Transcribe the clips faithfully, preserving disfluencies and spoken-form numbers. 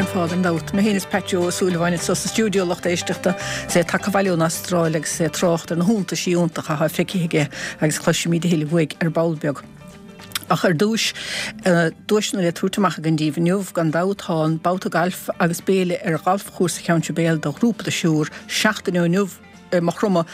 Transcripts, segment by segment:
cén fáth gan dabht. Mé féin is Pat Joe Ó Súilleabháin anseo sa stiúideo a lucht éisteachta is é tagtha abhaile ón Astráil agus é ag trácht ar na hiontaisí iontacha atá feicthe aige agus cloisfimid a thuilleadh uaidh ar ball beag. Ach ar dtús, duaiseanna le tabhairt amach againn daoibh inniu, gan dabht tá an babhta gailf agus béile ar ghalfchúrsa Cheann Sibéal do ghrúpa de thriúr seachtain ó inniu i Maigh Chromtha,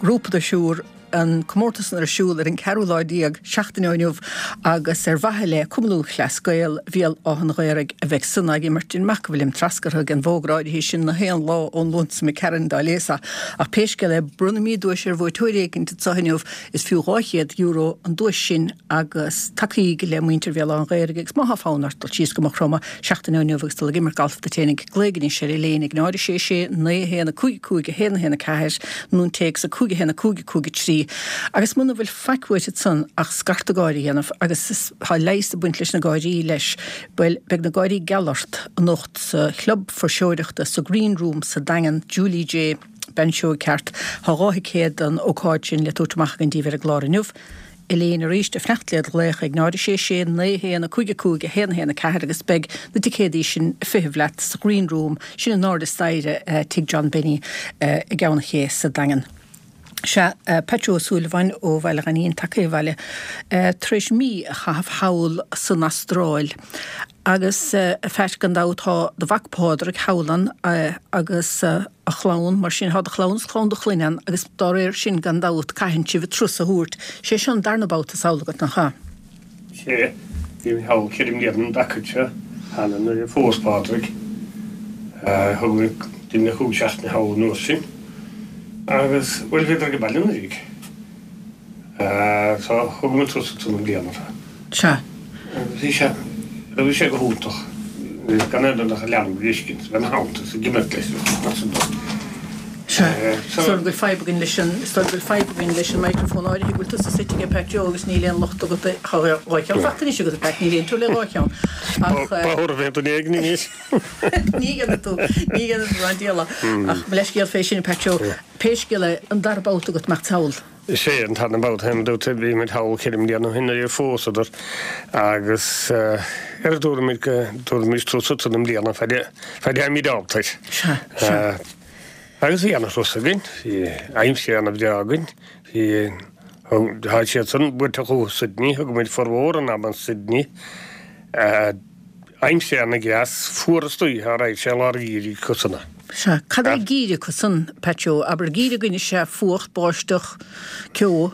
grúpa de thriúr. an comórtas san ar siúl ar an ceathrú lá déag, seachtain ó inniu, agus ar mhaithe le Cumann Lúthchleas Gael Bhéal Átha an Ghaorthaidh a bheidh san ag imirt. Déanaim amach go bhfuilim treascartha ag an bhfógra áirithe sin na haon lá ón Luan seo imigh tharainn, dá léas é. Ach pé scéal é, bronnfaimid duais ar bhuaiteoir éicint anseo inniu, is fiú dhá chéad euro an duais sin agus tacaígí le muintir Bhéal Átha an Ghaorthaidh agus má thá fonn ort dul síos go Maigh Chromtha seachtain ó inniu agus dul ag imirt galf duit fhéinig, glaoigh anois ar Elaine ag náid a sé sé naoi a haon a cúig cúig a haon a haon a ceathair nó an téacs a cúig a haon a cúig a cúig a trí agus muna bhfuil faic uait ansan ach scarta gáire a dhéanamh agus is tá leigheas ag baint leis na gáirí leis, bhuel beidh na gáirí geal ort anocht sa chlub fuirseoireachta sa Green Room sa Daingean, Julie J. Bean seoigh ceart. Tá dhá thicéad don ócáid sin le tabhairt amach againn daoibh ar an gclár inniu. Elaine arís ag fanacht le do ghlaoch ag náid a sé sé naoi a haon a cúig a cúig a haon a haon a ceathair agus beidh na ticéadaí sin ag feitheamh leat sa Ghreen Room, sin in airde staighre Tigh John Benny i gCeann an Ché sa Daingean. Sea, Pat Joe Ó Súilleabháin ó Bhaile Ghainín tagtha abhaile tar éis mí a chaitheamh thall san Astráil. Agus, a Phat, gan dabht tá do mhac Pádraig thall ann agus a chlann, mar sin tá do chlann is clann do chlainne ann agus dá réir sin gan dabht caitheann sibh turas a thabhairt. Sé seo an darna babhta is amhlaidh agat, nach ea? Sea, bhí mé thall ceithre mbliana an dtaca seo cheana nuair a phós Pádraig. Thug mé duine cúig seachtaine thall an uair sin agus, bhuel, bhíodar ag baile anuraidh. So thug muid turas ansan i mbliana. Sea. Agus bhí sé, bhí sé go hiontach. Gan aon duine ach an leanbh a fheiscint, bheith ina theannta is ag imirt leis mar sin de. Sea. Is dóigh liom go bhfuil fadhb againn leis an, is dóigh liom go bhfuil fadhb againn leis an microphone áirithe go bhfuil tusa suite aige Pat Joe agus níl aon locht agat, tá dhá cheann fachta anois agat a Pat, níl aon teora le dhá cheann. Ach. Ba chóir a bheith duine éigin anois. Ní dhéanfaidh tú, ní dhéanfaidh tú an diabhal. Ach mo leithscéal fé sin a Pat Joe. Pé scéal é, an dara babhta agat imeacht thall. Is é an tarna babhta féin dúirt bhí muid thall ceithre mbliana ó shin nuair a phósadar agus ar dúirt muid go dtabharfaimis turas ansan i mbliana fad a bheimid ábalta air. Sea, sea. Agus bhí ana-thuras againn, bhí aimsir ana-bhreá againn, bhí, tá siad san buaite chucu Sydney, thug muid formhór an ama in Sydney. Aimsir ana-dheas, fuar istoíche, alright, sé lár an gheimhridh acusan é. Sea. Cad é geimhreadh acusan, Pat Joe? Abair, geimhreadh againne is ea fuacht, báisteach, ceo.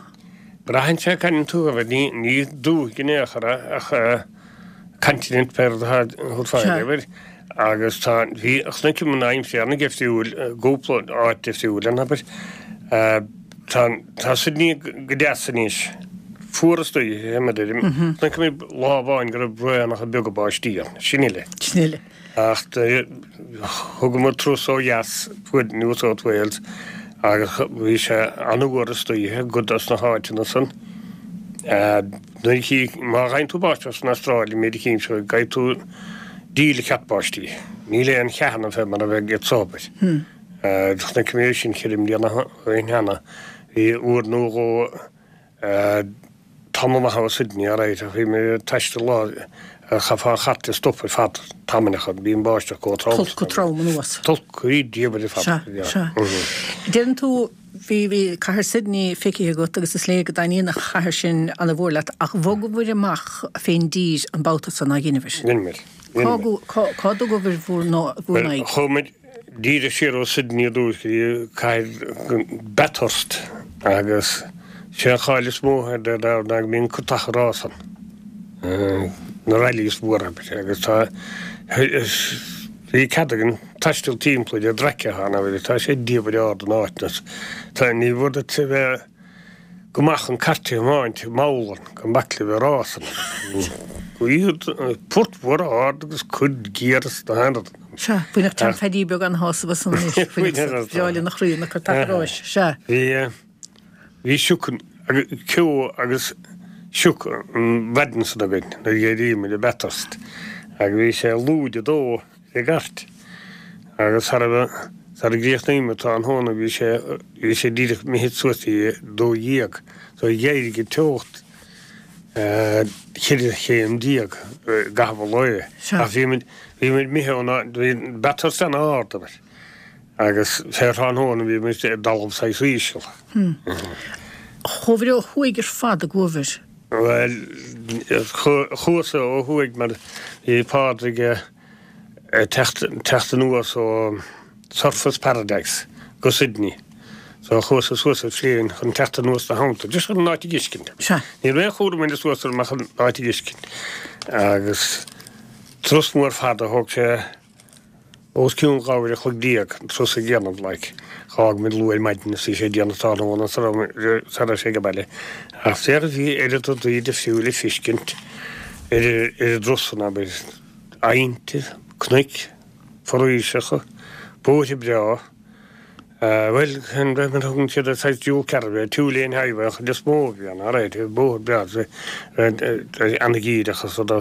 Braitheann sé cá mbíonn tú, abair, ní, ní dúthaigh in aon chor é ach continent pé rud atá thú ag fáil, abair, agus tá, bhí, chonaic an aimsir ana-dheifriúil i gcúpla áit difriúil ann, abair. Tá, tá Sydney go deas anois. Fuar istoíche, a deirim. Chonaic mé lá amháin go raibh braonacha beaga báistí ann. Sin uile. Sin uile. Ach thugamar turas ó dheas chuig New South Wales agus bhí sé an-fhuar istoíche i gcuid dos na háiteanna san. Nuair a chí, má gheibheann tú báisteach san Astráil, an méid a chímse, gheibheann tú díle ceart báistí. Níl aon cheathanna fé mar a bheidh anseo, abair. Chonaic mé sin ceithre mbliana ó shin cheana. Bhí uair nó dhó tamall maith ó Sydney alright ach bhí mé ag taisteal lá chaithfeá an chairt a stop ar fad tamailleacha bhí an báisteach chomh trom. Tolgtha chomh trom anuas. Tolgtha diabhail ar fad. Sea, sea. Deireann tú bhí, bhí cathair Sydney feicthe agat agus is léir go dtaitníonn an chathair sin ana mhór leat ach bhogabhair amach fén dtír an babhta san, nár dheineabhair? Dheineamair. Cá, cá, cá dtugabhair bhur n-aghaidh? Chuaigh muid díreach siar ó Sydney ar dtús go dtí cathair Bathurst agus sé an cháil is mó ar ná go mbíonn cartacha rás ann, na rallies mhóra abair, agus tá, bhí cead againn taisteal timpeall ar an traic atá ann abair, tá sé diabhail ard in áiteanna, tá, ní mhór duit a bheith go maith chun cairt a thiomáint mall ann, gan bac le bheith rás ann. Port mhór ard agus cuid géar is na haon rud. Sea, bhainfeadh Tom Phaidí beag an-shásamh as san anois, bhainfeadh sa, bhreá lena chroí na cartacha ráis, sea. Bhí, bhí sioc, ceo agus sioc an mhaidin san againn nuair a d'éirigh muid i Bathurst agus bhí sé lúide a dó ar an gcairt agus sara, sara gcríochnaigh muid tráthnóna bhí sé, bhí sé díreach imithe suas dtí a dó dhéag so d'éirigh an teocht. Ceithre chéim déag i gcaitheamh an lae. Ach bhí muid, bhí muid imithe ón áit, bhí Bathurst an-ard, abair. Agus fé thráthnóna bhí muid i dtalamh saghas íseal. Chuabhair ó thuaidh ar fad an gcuabhair? Bhuel, chuas ó thuaidh mar bhí Pádraig ag teacht, teacht anuas ó Surfers Paradise go Sydney. So chuas suas ar phlane chun teacht anuas ina theannta, just chun an áit a dh'fheiscint. Sea. Ní raibh aon chúram againn suas orm ach an áit a dh'fheiscint. Agus turas mór fada, thóg sé os cionn dhá uair a chloig déag an turas a dhéanamh, like. Dh'fhág muid luath ar maidin is bhí sé déanach tráthnóna sara raibh sé ag baile. Ach féach bhí oiread rudaí difriúil le feiscint ar ar an dturas san, abair, aibhnte, cnoic, foraoiseacha, bóithre breá. Bhuel, an raibh mar a thugann siad ar saghas dual carriageway, two lane highway an chuid is mó a bhí ann, alright, bóthar breá, an-dhíreach is rud,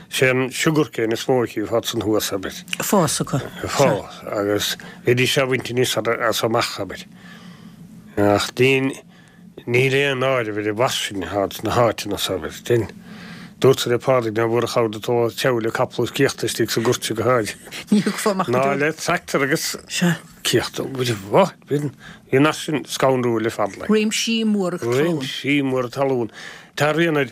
sé an sugarcane is mó a chífeá ansan thuas, abair. Fás acu. Fás, agus bhídís á bhaint aníos as amach, abair. Ach níl Níl aon áireamh ar an bhfairsinge atá sna háiteanna so, abair. Sin. Dúrt-sa le Pádraig ná murach amhrad atá treabhadh le capall is céachta istigh sa gcúirt go háirithe. Ní thiocfá amach go Ná deo. le tractor agus Sea. céachta. Bhí bhí an áit sin scanrúil ar fad, like. Réimsí móra talún. Réimsí móra talún. Tá rian ar,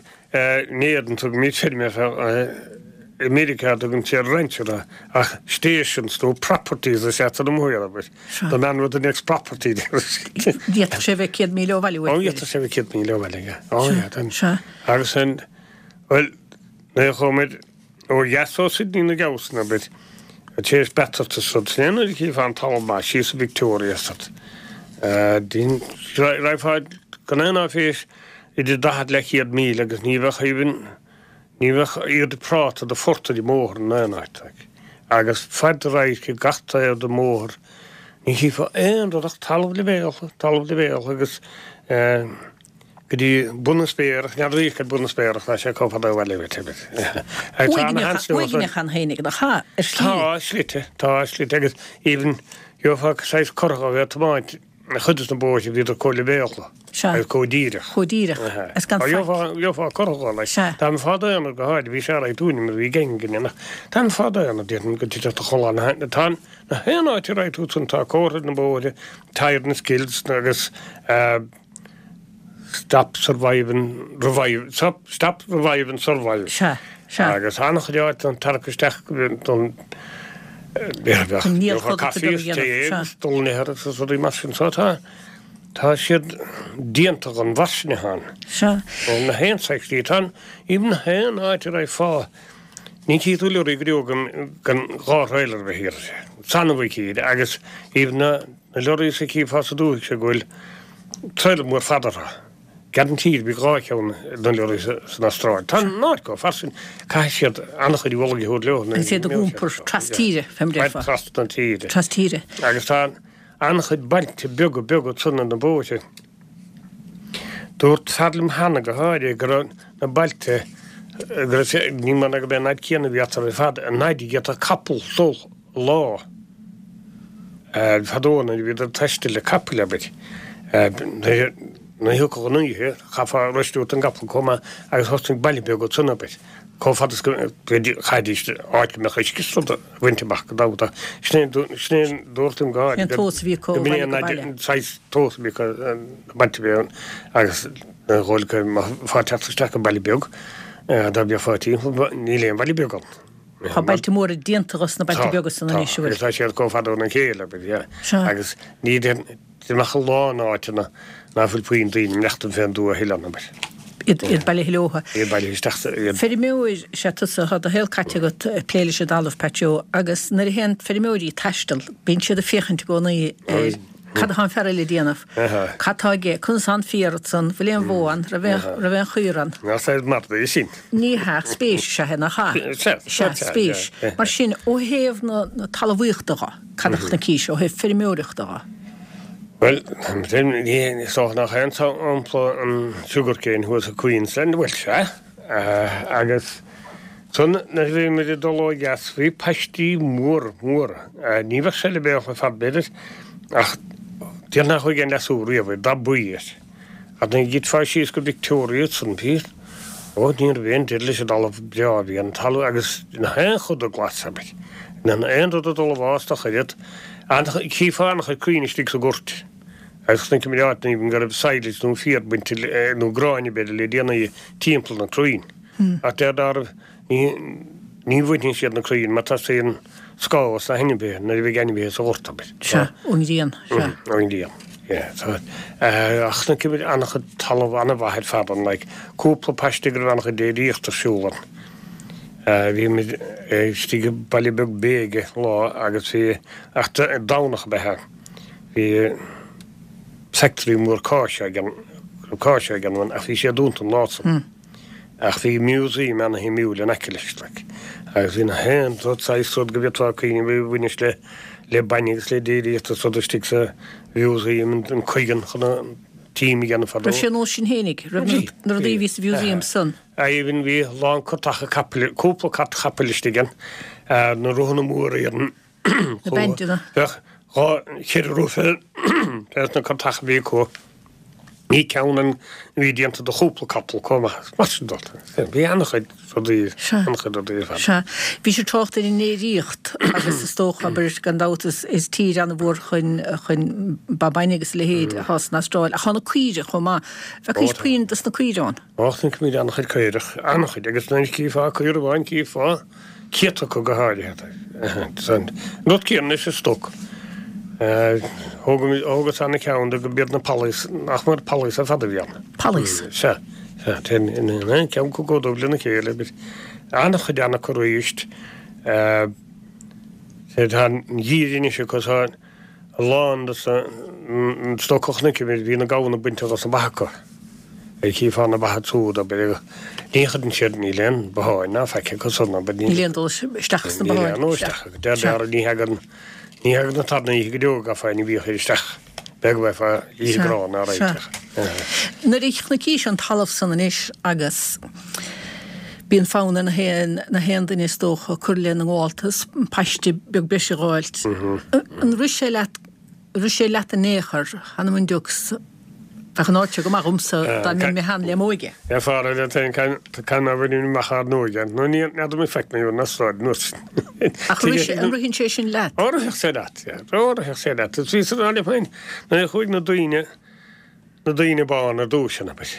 in Éirinn tugaimid feirmeoir i Meiriceá tugann siad rancher ach stations nó properties is ea san amuigh air, abair. The man with the next property. D'fhéadfadh sé bheith céad míle ó bhaile uait, Ó, d'fhéadfadh sé bheith céad míle ó bhaile, yeah. Ó, yeah. Then, Sea. agus an, bhuel, nuair a chuaigh muid ó dheas ó Sydney na gabhsan, abair, tar éis Bathurst is rud, sin é nuair a chífeá an talamh maith síos i Victoria is rud. Din, raghfá gan aon áiféis idir daichead le céad míle agus ní bheadh even, Ní bheadh oiread práta do phort ar an mbóthar in aon áit like. Agus fad do radhairc ag gach taobh den mbóthar ní chífeá aon rud ach talamh leibhéaltha, talamh leibhéaltha agus eh go dtí bun na spéire ach n'fheadar radharc ar bun na spéire ach tá sé chomh fada ó bhaile uait abair. Agus tá na Uaigneach, uaigneach ann fhéinig nach ea, ar shlí. Tá slite, tá slite agus even gheofá saghas curtha a bheith ag tiomáint Chuid de na bóithre bhíodar chomh leibhéalta Sea. agus chomh díreach. Chomh díreach. Is gan faic. Gheofá, gheofá curtha leis. Sea. Tá an fad aonair go háirithe, bhí sé alright dúinne mar bhí gang againne ach tá an fad aonair, déarfainn go dtitfeadh do chodladh na, tá an, na haon áit a raghaidh tú ansan tá comhartha ar na bóithre, tired and skills agus eh, stop, survive and revive, stop, stop, revive and survive. Sea, sea. Agus an-chuid áit don tarrac isteach don An níl caife is tae agus dul in ithir agus rudaí mar sin. So tá, tá siad déanta don bhfairsinge ann. Sea. Na haon saghas slí. Tá an, even na haon áit a raghfá, ní chífidh tú leoraí go deo gan, gan dhá trailer a bheith thiar. Is annamh a chífir agus even na, na leoraí a chífeá sa dúthaigh seo go bhfuil trailer mór fada orthu. Guaranteed bhí dhá cheann na leoraí san Astráil. Tá an áit chomh fairsing, caithfidh siad an-chuid ualaigh a thabhairt leo. Agus iad ag iompar tras tíre, fé mar a déarfá. Trasna na tíre. Tras tíre. Agus tá an-chuid bailte beaga beaga ansan ar na bóithre. Dúirt fear liom cheana go háirithe go raibh na bailte, go raibh sé, ní mar ná go b'é an fhad céanna a bhí eatarthu ar fad, an fhaid a d'fhéadfadh capall dul lá. Fadó nuair a bhíodar ag taisteal le capaill, abair, nuair a thiocfadh an oíche, chaithfeá reistiú don gcapall chomh maith agus thosnaigh baile beag ansan, abair, chomh fada is go chaithfidís áit go mbeadh uisce is rud a bhaint amach go dabht ach sin é sin é an dúirt an Sin an tomhas a bhí acu ó bhaile go baile. An saghas tomhas a bhí acu na bailte a bhí ann agus nuair a dhul go mbeifeá ag teacht isteach go baile beag dá mbeifeá timpeall níl aon bhaile beag ann. Tá bailte móra déanta dos na bailte beaga san anois, an bhfuil? Tá, tá siad chomh fada óna chéile, abair, yeah. Sea. Agus ní amach a lán áiteanna ná fuil puinn daoine maireachtaint fén dtuath a thuilleadh ann, abair. Iad, iad bailithe leotha. Iad bailithe isteach sa, iad. Feirmeoir is ea tusa, tá do shaol caite agat ag plé leis an dtalamh, Pat Joe, agus nuair a théann feirmeoirí ag taisteal, bíonn siad ag féachaint i gcónaí ar cad atá an fear eile ag déanamh, cad tá aige, conas tá an féar ansan, bhfuil aon bhó ann, raibh aon, raibh aon chaora ann. Nach saghas margaidh é sin? Ní hea, spéis is ea é, nach ea? Sea, Sea, spéis. Mar sin, ó thaobh na, na talmhaíochta dho, cad a chonaicis, ó thaobh feirmeoireachta dho? Bhuel, ní, is dócha nach aon sampla an sugarcane thuas i Queensland, bhuel, sea, agus ansan nuair a bhí muid ag dul ó dheas bhí paistí móra, móra, ní bheadh sé leibhéalta ar fad b'fhéidir, Ach déarfainn nár chuaigh aon leasú riamh air, dath buí air. Ach nuair a thitfeá síos go Victoria ansan bhí Ó, ní raibh aon deireadh leis an dtalamh breá a bhí ann, talamh agus na haon chuid glas, abair. Na aon rud ag dul i bhfás dá chuid. Chífeá an-chuid crainn istigh sa ghort agus chonaic muid áit even go raibh silage nó féar bainte nó gráinne b'fhéidir le déanaí timpeall na crainn. Ach deir darbh ní ní bhaineann siad na crainn mar teastaíonn scáth os na hainmhithe nuair a bheidh ainmhithe sa ghort, abair. Sea, ón ngrian, sea. Ón ngrian, yeah. So, ach chonaic muid an-chuid talamh an-mhaith ar fad ann, like cúpla paiste go raibh an-chuid déiríocht ar siúl ann. Bhí muid istigh i baile beag Bega lá agus bhí, ach Domhnach ab ea é, bhí factory mór cáise ag an, cáise ag an, ach bhí sé dúnta an lá san. Ach bhí museum ana-shuimiúil in aice leis, like. Agus bhí na haon rud saghas rud go bhféadfá cuimhneamh a bhaineas le, le bainne agus le déiríocht is rud istigh sa mhuseum, an cuigeann chun an tím a dhéanamh fadó. Raibh sé an nós sin fhéinig, raibh na rudaí a bhí sa mhuseum san. Even bhí a lán cartacha capaill, cúpla cart chapaill istigh ann, na rothanna móra iad an Na bendanna. Bheadh dhá, cheithre roth fé, fés na cartacha a bhí acu. Bhí ceann ann a bhí déanta do chúpla capall chomh maith. Mar sin de, bhí an-chuid rudaí, an-chuid rudaí ar fad. Sea. Bhís ag trácht ar an ndéiríocht agus is dócha, abair, gan dabht, is, is tír an-mhór chun, chun ba bainne agus a leithéid atá san Astráil. Ach tá na caoirigh chomh maith. Bhfeacaís puinn dos na caoirigh ann? Ó, chonaic muid an-chuid caorach, an-chuid, agus nuair a chífeá caora amháin chífeá céadta acu go háirithe. An rud céanna leis an stoc. Thógas ana cheann de go mb'iad na pollies, nach mór pollies ar fad a bhí ann. Pollies? Sea, sea. Téann aon cheann acu chomh dubh lena chéile. An-chuid acu arís. Tá an gheimhreadh anois acu, tá a lán de an stoc a chonaic muid, bhí na gamhna bainte dos na ba acu. Chífeá na ba ansiúd, abair, ní chuireann siad, níl aon botháin ná faic acu san, abair, níl aon dul isteach sna botháin. Níl aon dul isteach acu. Deir Dara, ní thagann, ní thagann an tarna oíche go deo go gcaithfeá aon bhia a chur isteach. B'fhéidir go mbeifeá ag ithe grán á réiteach. Nuair a chonaicis an talamh san anois agus bíonn fonn ar na haon, na haon duine is dócha cur lena ngabháltas, paiste beag breise a dh'fháilt. An rith sé leat Rith sé leat in aon chor, th'anam 'on diucs, bheadh an áit seo go maith dhomsa dá mbeinn mé féin le m'óige. Ar fearr leat féin can ná bhfuil amach ár n-óige, nó ní fheadar mé faic mé an Astráil anuas. Ach an ritheann sé sin leat? Ó, rithfeadh sé leat, yeah. Ó, rithfeadh sé leat. Is bhíos ag rá liom féin, nuair a chuaigh na daoine, na daoine bána ar dtúis ann, abair.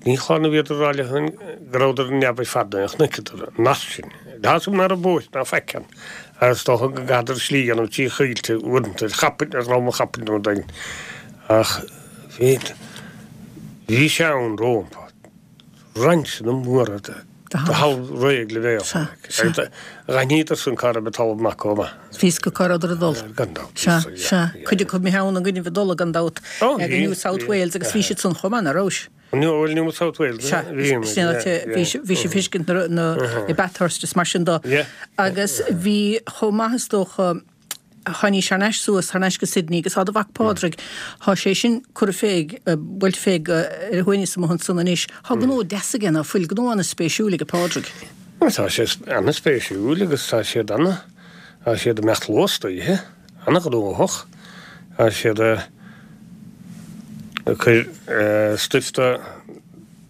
Ní chlann a bhíodar ag rá leo féin go rabhadar ar neamh ar fad nuair a chonaiceadar an nasc sin. Tá 'fhios agam nach raibh bóithre ná faic ann agus is dócha go gcaitheadar slí a dhéanamh trí choillte uaireanta ar chapaill, ar dhroim an chapaill nó rud éigin. Ach bhí, bhí sé ann rómpa. Rainseanna móra de thalamh réidh le bheith ann. Agus d'aithníodar san cá raibh an talamh maith chomh maith. Bhí 'fhios acu cá rabhadar ag dul. Gan dabht. Sea, sea. Cuid acu imithe ann i gcoinnibh ag dul, gan dabht, go New South Wales agus bhí siad san chomh maith, ná rabhais? New New South Wales. Sea, sin an áit, bhí bhí sé feiscint na na i Bathurst is mar sin do. Agus bhí chomh maith is dócha, tháinís thar n-ais suas, thar n-ais go Sydney agus tá do mhac Pádraig, tá sé sin curtha fé, buailte fé go ar a shuaimhneas amuigh ansan anois. Tá gnó deas aige, ná fuil, gnó ana-spéisiúil aige Pádraig. Tá sé ana-spéisiúil agus tá siad ana, tá siad ag imeacht luas istoíche, ana-ghnóthach, tá siad ag cur stuif de.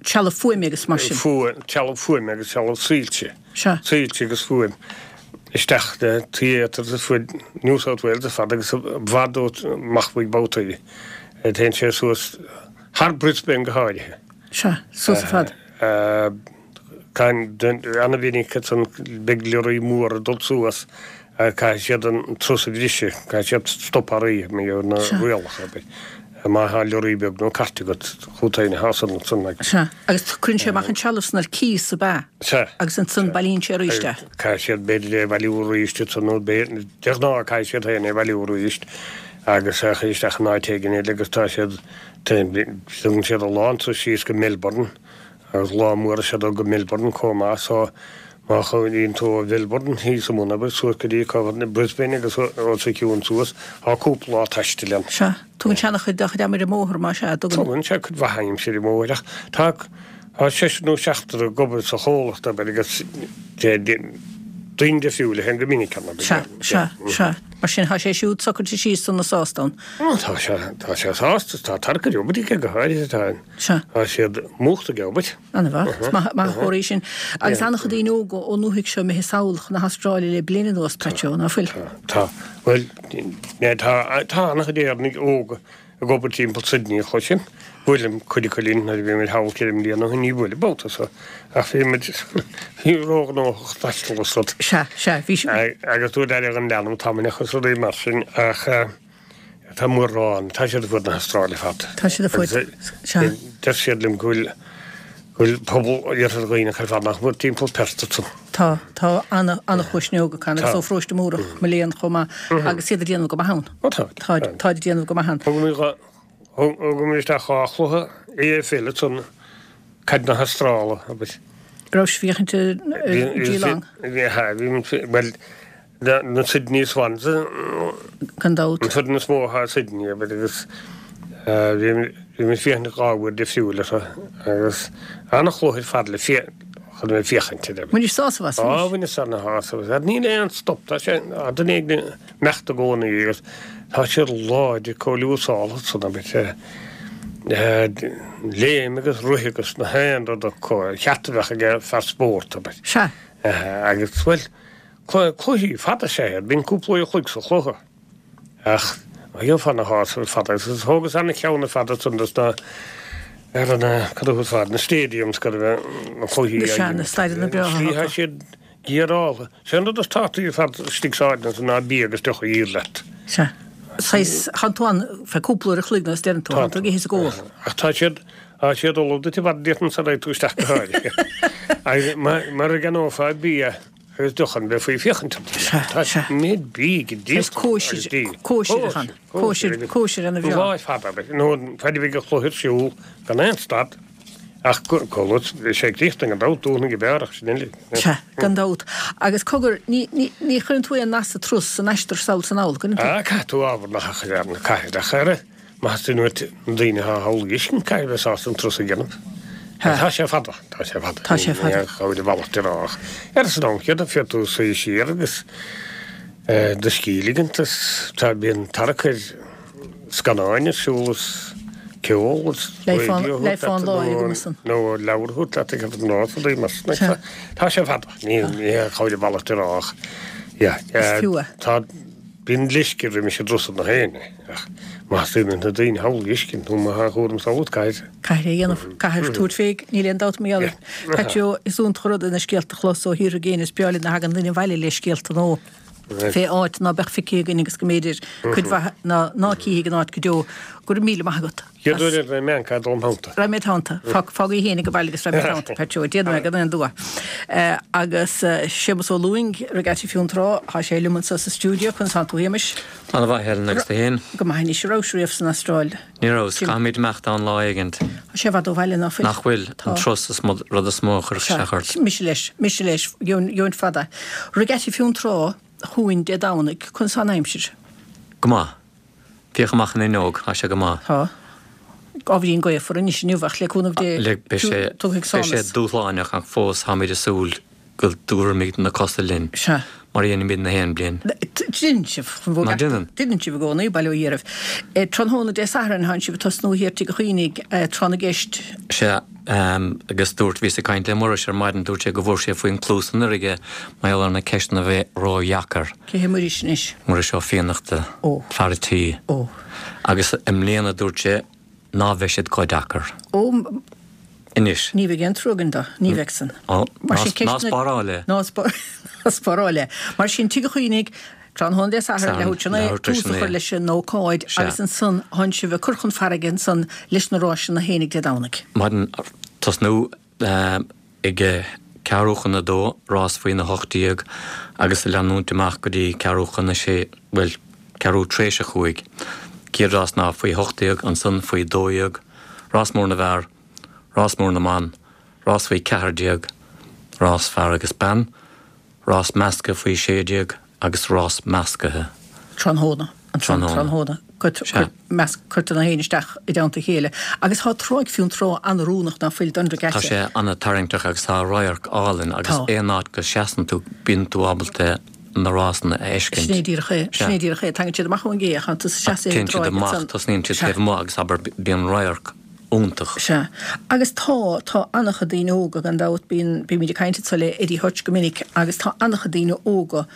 Trealamh fuaime agus mar sin. Fuaim, trealamh fuaime agus trealamh soilse. Sea. Soilse agus fuaim isteach le theatres ar fud New South Wales ar fad agus i bhfad amach uaidh babhtaí. Téann sé suas thar Brisbane go háirithe. Sea, suas ar fad. Ana-mhinic ansan beidh leoraí mór ag dul suas caithfidh siad an turas a bhriseadh, caithfidh siad stop ar oíche mar gheall ar na rialacha, abair. Má tá leoraí beag nó cairt agat, chugat féin atá san ansan. Sea, agus cuireann sé amach an trealamh san ar cíos, ab ea? Sea. Agus ansan bailíonn sé arís é. Caithfidh siad b'fhéidir é a bhailiú arís ansan nó de ghnáth caithfidh siad féin é a bhailiú arís agus é a chur isteach in áit éigin eile agus tá siad, tugann siad a lán turas síos go Melbourne Agus lá mór is ea dul go Melbourne chomh maith so má chuimhníonn tú ó Mhelbourne thíos i mbun abair suas go dtí cá Brisbane agus os a chionn suas tá cúpla lá taistil ann. Sea. Tugann sé ana-chuid dá chuid ama ar an mbóthar más ea, tugann. Tugann sé cuid mhaith aimsire ar an mbóthar ach tá tá seisear nó seachtar ag obair sa chomhlacht abair agus daoine difriúla a théann go minic ann. Sea, sea, sea. Mar sin, tá sé siúd socraithe síos sona sásta ann. Ó, tá sé, tá sé sásta, tá tarcair obair aige go háirithe, tá, Sea. tá siad múchta ag obair. An-mhaith, is maith, maith an comhartha é sin. Agus an-chuid daoine óga ón ndúthaigh seo imithe sall chun na hAstráile le bliain anuas, Patsy, ná fuil? Tá, tá. Bhuel, tá, tá an-chuid Éireannaigh óga ag obair timpeall Sydney, a chloisim. Bhuaileam cuid acu linn nuair a bhí muid thall ceithre mbliana ó shin, ní bhuaileadh babhta so, ach bhí muid róghnóthach taisteal is rud. Sea, sea, bhí sí. Agus dúirt aire an leanbh tamall agus rudaí mar sin, ach tá mórán, tá siad ar fud na hAstráile ar fad. Tá siad ar fud, sea. Deir siad liom go bhfuil, go bhfuil pobal Iarthar Dhuibhneach ar fad nach mór timpeall Perth ansan. Tá, tá an-chuid daoine óga acu agus ó Pharóiste Múrach, mo léan, chomh maith, agus iad ag déanamh go maith ann. Ó tá. Tá, tá ag déanamh go maith ann. Thug mé dhá, thug mé isteach dhá chluiche AFL ansan, caid na hAstráile, abair. Raibh sibh féachaint ar Geelong? Bhí, bhí, bhuel, na Sydney Swans, Gan dabht. An foireann is mó atá i Sydney, abair, agus bhí mé ag féachaint dhá uair difriúil orthu agus an-chluiche ar fad le chun a bheith ag féachaint air. Bhainis sásamh as, bhainis? Á, bhaineas ana-shásamh as. Níl aon stop, tá sé, tá duine éigin ag imeacht i gcónaí agus tá siad láidir chomh liúsálta san, abair, léim agus rith agus na haon rud acu, an ceart a bheadh ag fear spóirt, abair. Sea. Agus, bhuel, Cluichí fada is ea iad, bíonn cúpla uair a chloig sa chluiche. Ach gheofá ana-shásamh ar fad agus thógas ana-cheann ar fad ansan dos na, ar na, cad a thabharfá, na stadiums go raibh na cluichí á Sea, na imirt. staideanna breátha Slí acu. tá siad gearálta. Sé an rud is tábhachtaí ar fad istigh sa áit ansan ná bia agus deoch a dhíol leat. Sea. Saghas, tánn tú ann feadh cúpla uair a chloig nó is deireann tú, Tá tánn tú ag ithe is ag ól. Ach tá siad, tá siad ullamh duit i bhfad déarfainn sara raghaidh tú isteach go háirithe. Agus mura gceannófá bia Agus deoch ann bheifí ag féachaint orthu. Sea, Tá sea. méid bídh ag Is díol cóisir, agus dí. cóisir atá ann. Cóisir, Cóisir, cóisir ana An bhreá. lá ar fad abair, nó fad a bheidh an cluiche ar siúl gan aon stad, ach go go luath, bhí sé ag tíocht gan dabht, dúnadh go beár ach sin uilig. Sea, gan dabht. Agus cogar, ní, ní, ní chuireann tú aon nas sa turas san aistear sall is anall, gcuireann tú? Ah, caithfidh tú ábhar na hachair na caithfidh ach ar má theastaíonn uait na daoine atá thall a fheiscint, caithfidh bheith sásta an turas a dhéanamh. Tá sé fada, tá sé fada. Tá sé fada. Ní ghabhail i bhfalach de rách. Ar san am céanna, féadfaidh tú suí siar agus do scíth a ligint is tá bíonn tarrac ar scannáin ar siúl is ceol is raidió a thabhairt leat nó leabhar a thabhairt leat ag an rás rudaí mar sin. Tá sé fada. Ní ghabhail i bhfalach de rách. Yeah. Is fiú é. Tá Bíonn leisce roimis an dturas na héinne, ach má theastaíonn uait na daoine thall a fheiscint nó má tá cúram samhla, caithfidh. Caithfidh é a dhéanamh, caithfidh tabhairt fé, níl aon dabht mar gheall air. Patsy Ó, is iontach an rud é na scéalta a chlos ó thíortha i gcéin, is breá linn a thagann duine abhaile le scéalta nó fé áit ná beadh feicthe againn agus go mb'fhéidir cuid mhaith ná ná cífidh an áit go deo. Go raibh míle maith agat. Chéad uair eile raghaidh mé ag dul im theannta. Raghaidh mé id theannta. Fág í fhéinig abhaile agus raghaidh mé id theannta, Patsy Ó. Déanfaidh mé gan aon dua. Agus Séamus Ó Lúing, Regatta Fionntrá, tá sé liom anseo sa stiúideo. Conas tánn tú, a Shéamais? Ana mhaith, Helen, agus tú fhéin? Go maith anois. An rabhais riamh san Astráil? Ní rabhas. Caithfimid imeacht ann lá éigint. Tá sé i bhfad ó bhaile, ná fuil? Nach bhfuil? An turas is rud is mó a chuirfeadh isteach ort. Sea. Mise leis. Mise leis. Gheobhainn fada. Regatta Fionntrá chugainn Dé Domhnaigh. Conas tá an aimsir? Go maith. Féach amach an fhuinneog, tá sé go maith. Tá. Ábhairín gaofar anois inniu ach le cúnamh Dé Beidh sé tiocfaidh beidh sé sonas. dúshlánach ach fós táimid ag súil go dtabharfaimid na cosa linn, Sea. mar a dhéanaimid na haon bliain. Déanann sibh, chun bheith Ná déanann? Déanann sibh i gcónaí, bail ó Dhia oraibh. Tráthnóna Dé Sathairn tánn sibh ag tosnú thiar Tigh a' Chaoinigh, tráth na gceist. Sea, agus dúirt, bhíos ag caint le Muiris ar maidin, dúirt sé go bhfuair sé faoin cluas anuraidh é mar gheall ar na ceisteanna a bheith ródheacair. Cé hé Muiris anois? Muiris Ó Fiannachta, Ó. fear a' tí. Ó. Agus i mbliana dúirt sé ná bheidh siad chomh deacair. Ó. Anois. Ní bheidh aon trua againn dó, ní bheidh san. Ó, Mar ná sin ná ceisteanna. spáráil é. Ná ná spáráil é. Mar sin Tigh a' Chaoinigh, tráthnóna Dé Sathairn, Sathairn, leathuair tar éis a naoi, leathuair tar éis tús a a chur naoi. leis an ócáid Sea. agus ansan tánn sibh ag cur chun farraige ansan leis na ráiseanna fhéinig Dé Domhnaigh. Maidin, tosnú ag ceathrú chun a dó, rás faoina hocht déag, agus leanúint amach go dtí ceathrú chun a sé, bhuel, ceathrú tar éis a chúig. Céad rás ná faoi hocht déag, ansan faoi dó dhéag, rás mór na bhfear, rás mór na mban, rás faoi ceathair déag, rás fear agus bean, rás measctha faoi sé déag agus rás meascaithe. Tráthnóna. ansan tráthnóna. Cuirtear na héin isteach i dteannta a chéile. Agus tá Tráigh Fionntrá an-oiriúnach ná fuil don regatta. Tá sé an-tarraingteach agus tá radharc álainn agus aon áit go seasann tú bíonn tú ábalta na rásanna a fheiscint. Sin é díreach é. Sin é díreach é. Tagann siad amach ón gcé ach tá tú ag seasamh ar an Téann siad dtráigh amach, ansan. tosnaíonn siad Sea. taobh amuigh agus abair bíonn radharc iontach. Sea. Agus tá, tá an-chuid daoine óga, gan dabht, bíonn, bímid ag caint anso le Eddie Hutch go minic agus tá an-chuid daoine óga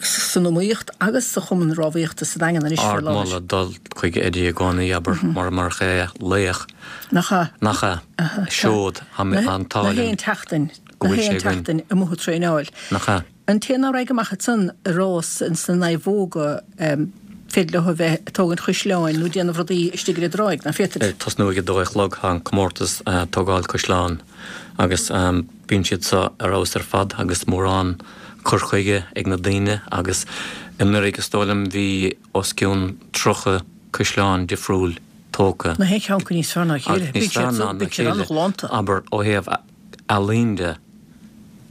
san iomaíocht agus sa chumann rámhaíochta sa Daingean anois faoi láthair. Ardmholadh dul chuig Eddie i gcónaí, abair, mura murach é, laoch. Nach ea? Nach ea? Seod, tá an t-ádh Na linn haon tseachtain, go na bhfuil haon sé againn. tseachtain amuigh ag traenáil. Nach ea? An té ná raghaidh amach ansan i rás ins na naomhóga, féidir leo a bheith ag tógaint chuisleáin nó déanamh rudaí istigh ar an dtráigh, ná féadfaid? Ag tosnú ag a dó a chlog tá an comórtas tógáil cuisleán agus bíonn siad seo ar fheabhas ar fad agus mórán cur chuige ag na daoine agus anuraidh is dóigh liom bhí os cionn tríocha cuisleán difriúil tógtha. Nach aon cheann acu níos fearr ná a chéile. Agus níos Bíonn siad fearr ná bíonn a siad chéile, an-ghalánta. abair, ó thaobh ealaín de.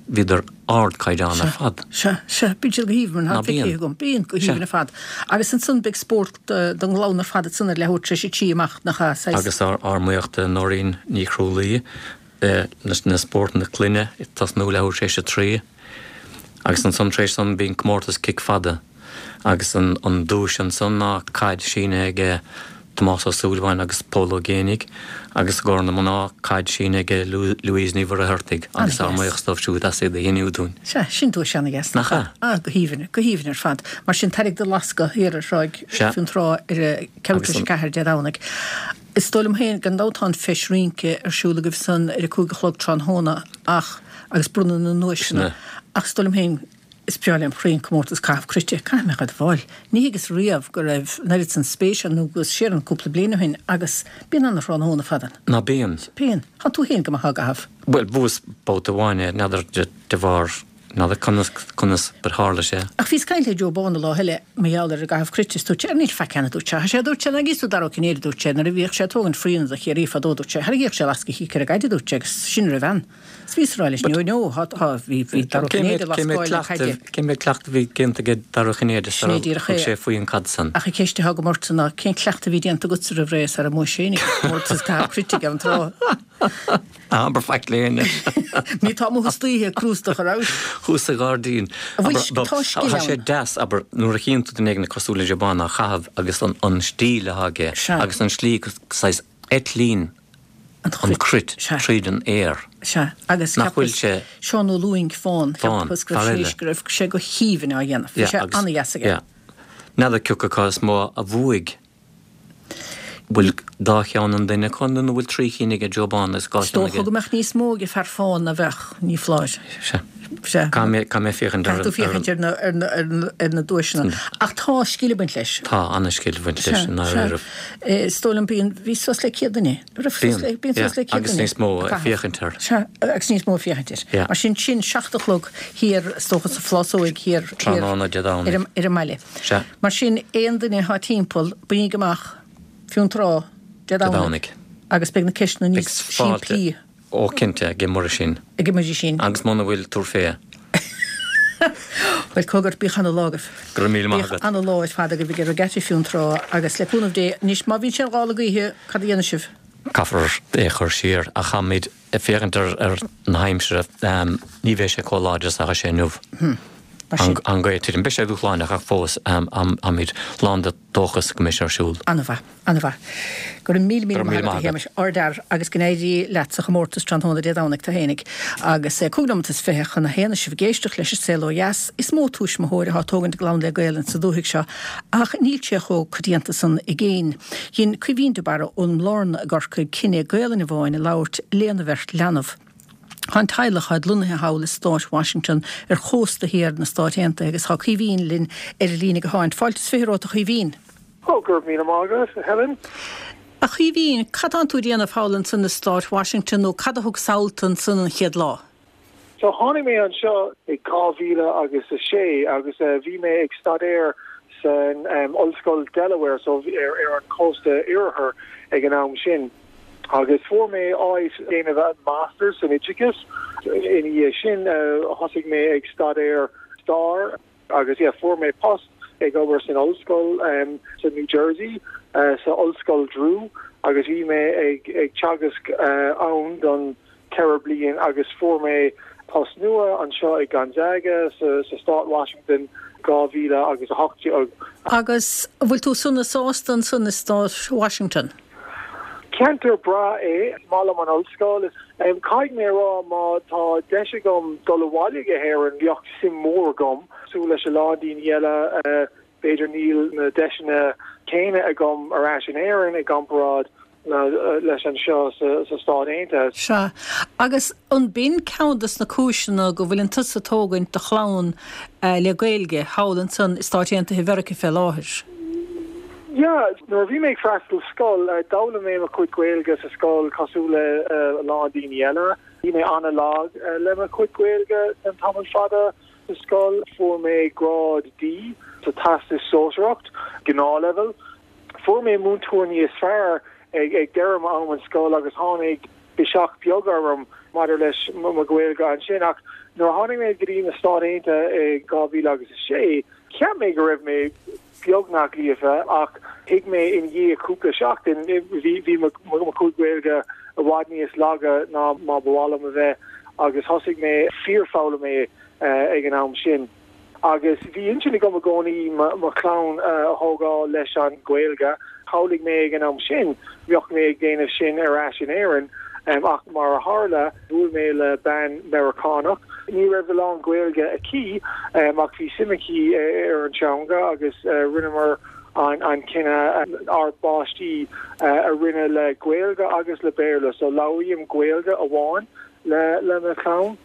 Bhíodar ardchaighdeán Sea, ar fad. sea, sea, bíonn siad go haoibhinn, Ná tá feicthe bíonn? agam, bíonn, go Sea. haoibhinn ar fad. Agus ansan beidh spórt don ghlann ar fad ansan ar leathuair tar éis a trí amach, nach ea, saghas. Agus ár ár mbuíochas do Nóirín Ní Chrualaoi leis na spórtanna clainne ag tosnú leathuair tar éis a trí. Agus ansan tar éis san bíonn comórtas cic fada agus an an duais ansan ná caid sínithe aige Tomás Ó Súilleabháin agus Pól Ó Géibheannaigh agus i gcomhair na mná, caid sínithe aige Louise Ní Mhuircheartaigh agus ár An-dheas. mbuíochas dóibh siúd as iad a shíniú dúinn. Sea, sin duais an-dheas, Nach nach ea? ea? Ah, go haoibhinn, go haoibhinn ar fad. Mar sin, tar ag do lascadh thiar ar Thráigh Sea. Fionntrá ar a ceathrú Agus tar éis a an. ceathair Dé Domhnaigh. Is dóigh liom féin, gan dabht tá an Feis Rince ar siúl agaibh san ar a cúig a chlog tráthnóna ach, agus bronnadh na nduaiseanna, Sin é. ach is dóigh liom féin, Is breá lem chroí an comórtas caitheamh cruite. Caithfidh mé a admháil, ní thuigeas riamh go raibh an oiread san spéise ann nó go siar ann cúpla bliain ó shin agus bíonn ana-thráthnóna fada ann. Ná bíonn? Bíonn. Thánn tú féin go maith á gcaitheamh. Bhuel, bhuas babhta amháin é, n'fheadar de bharr, n'fheadar conas, conas gur tharla sé. Ach bhíos ag caint le Joe Bán an lá eile mar gheall ar an gcaitheamh cruite is dúirt sé, ar níl faic ann a dúirt sé. Tá sé a dúirt sé, nach gcíos tú Dara Ó Cinnéide a dúirt sé, nuair a bhíodh sé ag tógaint fraoigh do Chiarraí fadó a dúirt sé, tharraingíodh sé lasc a chic ar an gcaid a dúirt sé agus sin a raibh ann. Is bhíos ag rá leis, no, no, thá, thá, bhí, bhí Dara Ó Cé Cinnéide mhéad, cé mhéad lascáil na cleachtadh, caide. cé mhéad cleachtadh a bhí déanta aige Dara Ó Cinnéide Sin é sara díreach thug é. sé faoi an caid san? Ach an cheist atá agam ortsa ná cén cleachtadh a bhí déanta agatsa roimh ré sara mbuaigh sé an comórtas caitheamh cruite ag an trá? Ná habair faic le héinne. Ní tá amuigh istoíche crústach a raibh. Thuas sa ghairdín. An bhfuil Abair, tá scil tá sé ann. deas, abair, nuair a chíonn tú duine éigin cosúil le Joe Bán á chaitheamh agus an, an stíl atá aige Sea. agus an slí saghas eitlíonn An an chruit. cruit Sea. tríd an aer. Sea, agus Nach bhfuil cheapas sé. Seán Ó Lúing fán, Fán, cheapas go raibh fear sé eile. go raibh sé go haoibhinn á dhéanamh. Bhí Yeah, sé agus, an-dheas aige. yeah. N'fheadar cé acu is mó a bhuaigh. Bhfuil dá cheann an duine acu nó bhfuil trí chinn aige Joe Bán agus dhá Is cheann dócha aige? go mbeadh níos mó ag fear fán ná bheadh, ní foláir. Sea. Sea. Caithfidh mé, caithfidh mé féachaint ar Caithfidh tú féachaint ar na, ar na, ar na, ar na duaiseanna. Ach tá scil ag baint leis. Tá an-scil ag baint leis, Sea, i ndáiríre. sea. Is dóigh liom bíonn, bhí suas le céad duine. Raibh suas Bíonn, le, bíonn yeah. suas le céad Agus duine níos mó ag ag caitheamh. féachaint air. Sea, agus níos mó ag féachaint air. Yeah. Mar sin, sin seacht a chlog thiar, is dócha sa Phlásóig thiar, thiar Tráthnóna Dé Domhnaigh. ar an, ar an mbaile. Sea. Mar sin, aon duine atá timpeall, bígí amach, Fionntrá, Dé Dé Domhnaigh. Domhnaigh. Agus beidh na ceisteanna Beidh níos fáilte simplí. Ó cinnte, ag Muirisín. Ag Muirisín. Agus muna bhfuil, tabhair fé. Bhuel, cogar, bíodh ana-lá agaibh. Go raibh míle maith Bíodh agat. ana-lá ar fad agaibh ag Regatta Fionntrá agus le cúnamh Dé, anois má bhíonn sé an gála gaoithe, cad a dhéanfaidh sibh? Caithfear é a chur siar ach táimid ag féachaint ar ar na haimsire, ní bheidh sé chomh láidir is atá sé inniu. Mar sin. An ghaoth tirim. Beidh sé dúshlánach ach fós táimid lán de dóchas go mbeidh sé ar siúl. An-mhaith, an-mhaith. Go raibh míle míle Go raibh míle maith agat, maith a agat. Shéamais, ardfhear agus go n-éirí leat sa chomórtas tráthnóna Dé Domhnaigh tú fhéinig. Agus cúig nóiméad is fiche chun a haon sibh ag éisteacht leis an Saol Ó Dheas. Is mó tuismitheoir atá ag tógaint a gclann le Gaelainn sa dúthaigh seo ach níl sé chomh coitianta san i gcéin. Dhein Caoimhín de Barra ón mBlárna i gCorcaigh cinneadh Gaelainn amháin a labhairt lena bheirt leanbh. Tá an teaghlach acu lonnaithe thall i stát Washington ar chósta thiar na Stát Aontaithe agus tá Caoimhín linn ar an líne gutháin. Fáilte is fiche romhat a Chaoimhín. Ó, go raibh míle maith agat, a Helen. A Chaoimhín, cad tánn tú a dhéanamh thall ansan i stát Washington nó cad a thug samhalta ansan an chéad lá? So tháinig mé anseo i dhá mhíle agus a sé agus bhí mé ag staidéar san Ollscoil Delaware, so ar ar an cósta oirthear ag an am sin. Agus fuair mé áit déanamh masters san oideachas. Ina dhiaidh sin thosaigh mé ag staidéar stair agus yeah, fuair mé post ag obair san ollscoil um, sa New Jersey uh, sa ollscoil Drew agus bhí mé ag ag teagasc uh, ann don ceithre bliain agus fuair mé post nua anseo i Gonzaga sa, sa stát Washington dhá mhíle agus a hocht déag. Agus bhfuil tú sona sásta ansan i stát Washington? Ceantar breá é maith liom an ollscoil. Um, Caithfidh mé rá má tá deis agam dul abhaile go hÉirinn bheadh suim mór agam cosúil leis a lán daoine eile uh, b'fhéidir níl na deiseanna céanna agam ar ais in Éirinn i gcomparáid leis anseo sa, sa Stát Aontaithe. Sea, agus an b'in ceann des na cúiseanna go bhfuil tusa ag tógaint do chlann uh, le Gaeilge thall ansan i Stáit Aontaithe Mheiriceá fé láthair. Ja, nuair bhí mé ag freastal scoil uh, d'fhoghlaim mé mo chuid Gaeilge sa scoil cosúil le uh, lán daoine eile. Bhí mé an-lag uh, le mo chuid Gaeilge an tamall fada sa scoil fuair mé grád D sa Teastas Sóisearach gnáthleibhéal. Fuair mé múinteoir níos fearr ag ag deireadh am an scoil agus tháinig biseach beag orm maidir leis mo Ghaeilge ansin ach nuair tháinig mé go dtí na Stáit Aontaithe i dhá mhíle agus a sé, cheap mé go raibh mé beagnach líofa ach thuig mé i ndiaidh cúpla seachtain bhí bhí mo chuid Gaeilge i bhfad níos laige ná mar ba mhaith liom a bheith agus thosaigh mé fíorfhoghlaim mé ag an am sin. Agus bhí intinn agam i gcónaí mo chlann a thógáil leis an Ghaeilge, Shamhlaigh mé ag an am sin bheadh mé ag déanamh sin ar ais in Éirinn um, ach mar a tharla bhuail mé le bean Meiriceánach. Ní raibh a lán Gaeilge aici um, ach bhí suim aici ar an teanga agus uh, rinneamar an, an cinneadh ár bpáistí uh, a rinne le Gaeilge agus le Béarla, so labhraím Gaeilge amháin le le mo chlann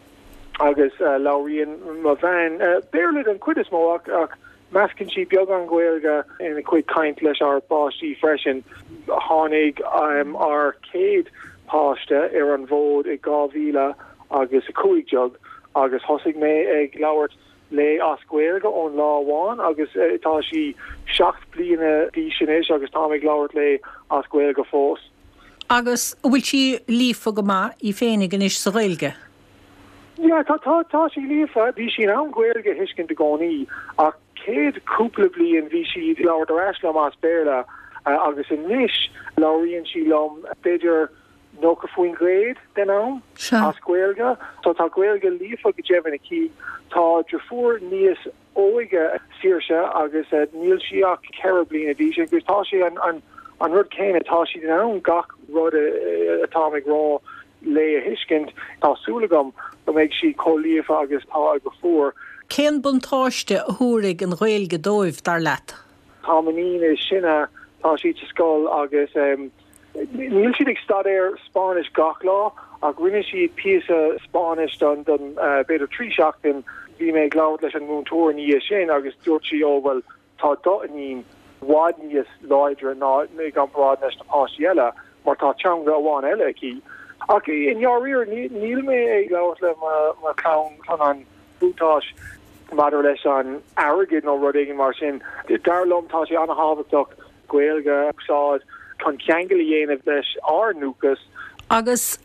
agus uh, labhraíonn mo bhean uh, Béarla den chuid is mó ach, ach meascann sí beagán Gaeilge ina cuid caint leis ár bpáistí freisin tháinig um, ár céad páiste ar an bhfód i dhá mhíle agus a cúig déag agus thosaigh mé ag labhairt léi as Gaeilge ón lá amháin agus uh, tá sí seacht bliana d'aois anois agus tá ag labhairt léi as Gaeilge fós. Agus bhfuil sí líofa go maith í féinig anois sa Ghaeilge? Ja, tá tá tá sí líofa, bhí sí in ann Gaeilge a thuiscint i gcónaí ach céad cúpla bliain bhí sí labhairt ar ais liom as Béarla uh, agus anois labhraíonn sí liom b'fhéidir nócha faoin gcéad den am as Gaeilge, so tá Gaeilge líofa go deimhin aici tá deirfiúr níos óige Saoirse agus uh, níl sí ach ceithre bliana d'aois agus tá sé an, an, an rud céanna tá sí in ann gach rud atá ag rá léi a thuiscint tá súil agam go mbeidh sí chomh líofa agus tá a deirfiúr. Cén buntáiste a thabharfaidh an Ghaeilge dóibh dar leat? Tá m'iníon is sine tá sí sa scoil agus um, níl siad ag staidéar Spáinnis gach lá ach rinne siad píosa Spáinnis don don uh, b'fhéidir trí seachtain bhí mé ag labhairt leis an múinteoir ní sin agus dúirt sí ó well tá d'iníon i bhfad níos láidre ná i gcomparáid leis na páistí eile mar tá teanga amháin eile aici. Ach i ndáiríre níl mé ag labhairt le mo chlann chun an buntáiste maidir leis an airgead nó rud éigin mar sin. Dar liom tá sé an-thábhachtach Gaeilge a úsáid chun ceangal a dhéanamh leis ár ndúchas. Agus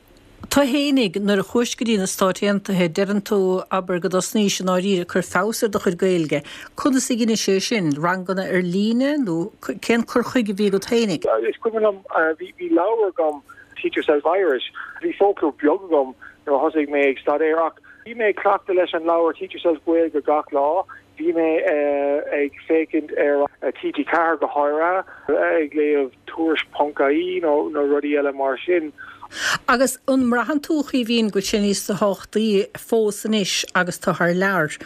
tú fhéinig nuair a chuais go dtí na Stáit Aontaithe deireann tú abair go dtosnaís i ndáiríre cur feabhas ar do chuid Gaeilge. Conas a rinne sé sin ranganna ar líne nó cén cur chuige a bhí agat fhéinig? Is cuimhin liom bhí leabhar agam Teach Yourself Irish. Bhí foclóir beag agam nuair a thosaigh mé ag staidéar ach bhí mé ag cleachtadh leis an leabhar Teach Yourself Gaeilge gach lá. Bhí mé uh, ag féachaint ar uh, TG Ceathair go háirithe ag léamh tuairisc ponc ie nó nó rudaí eile mar sin. Agus an mbraitheann tú a Chaoimhín go bhfuil sé níos tábhachtaí fós anois agus tú thar lear.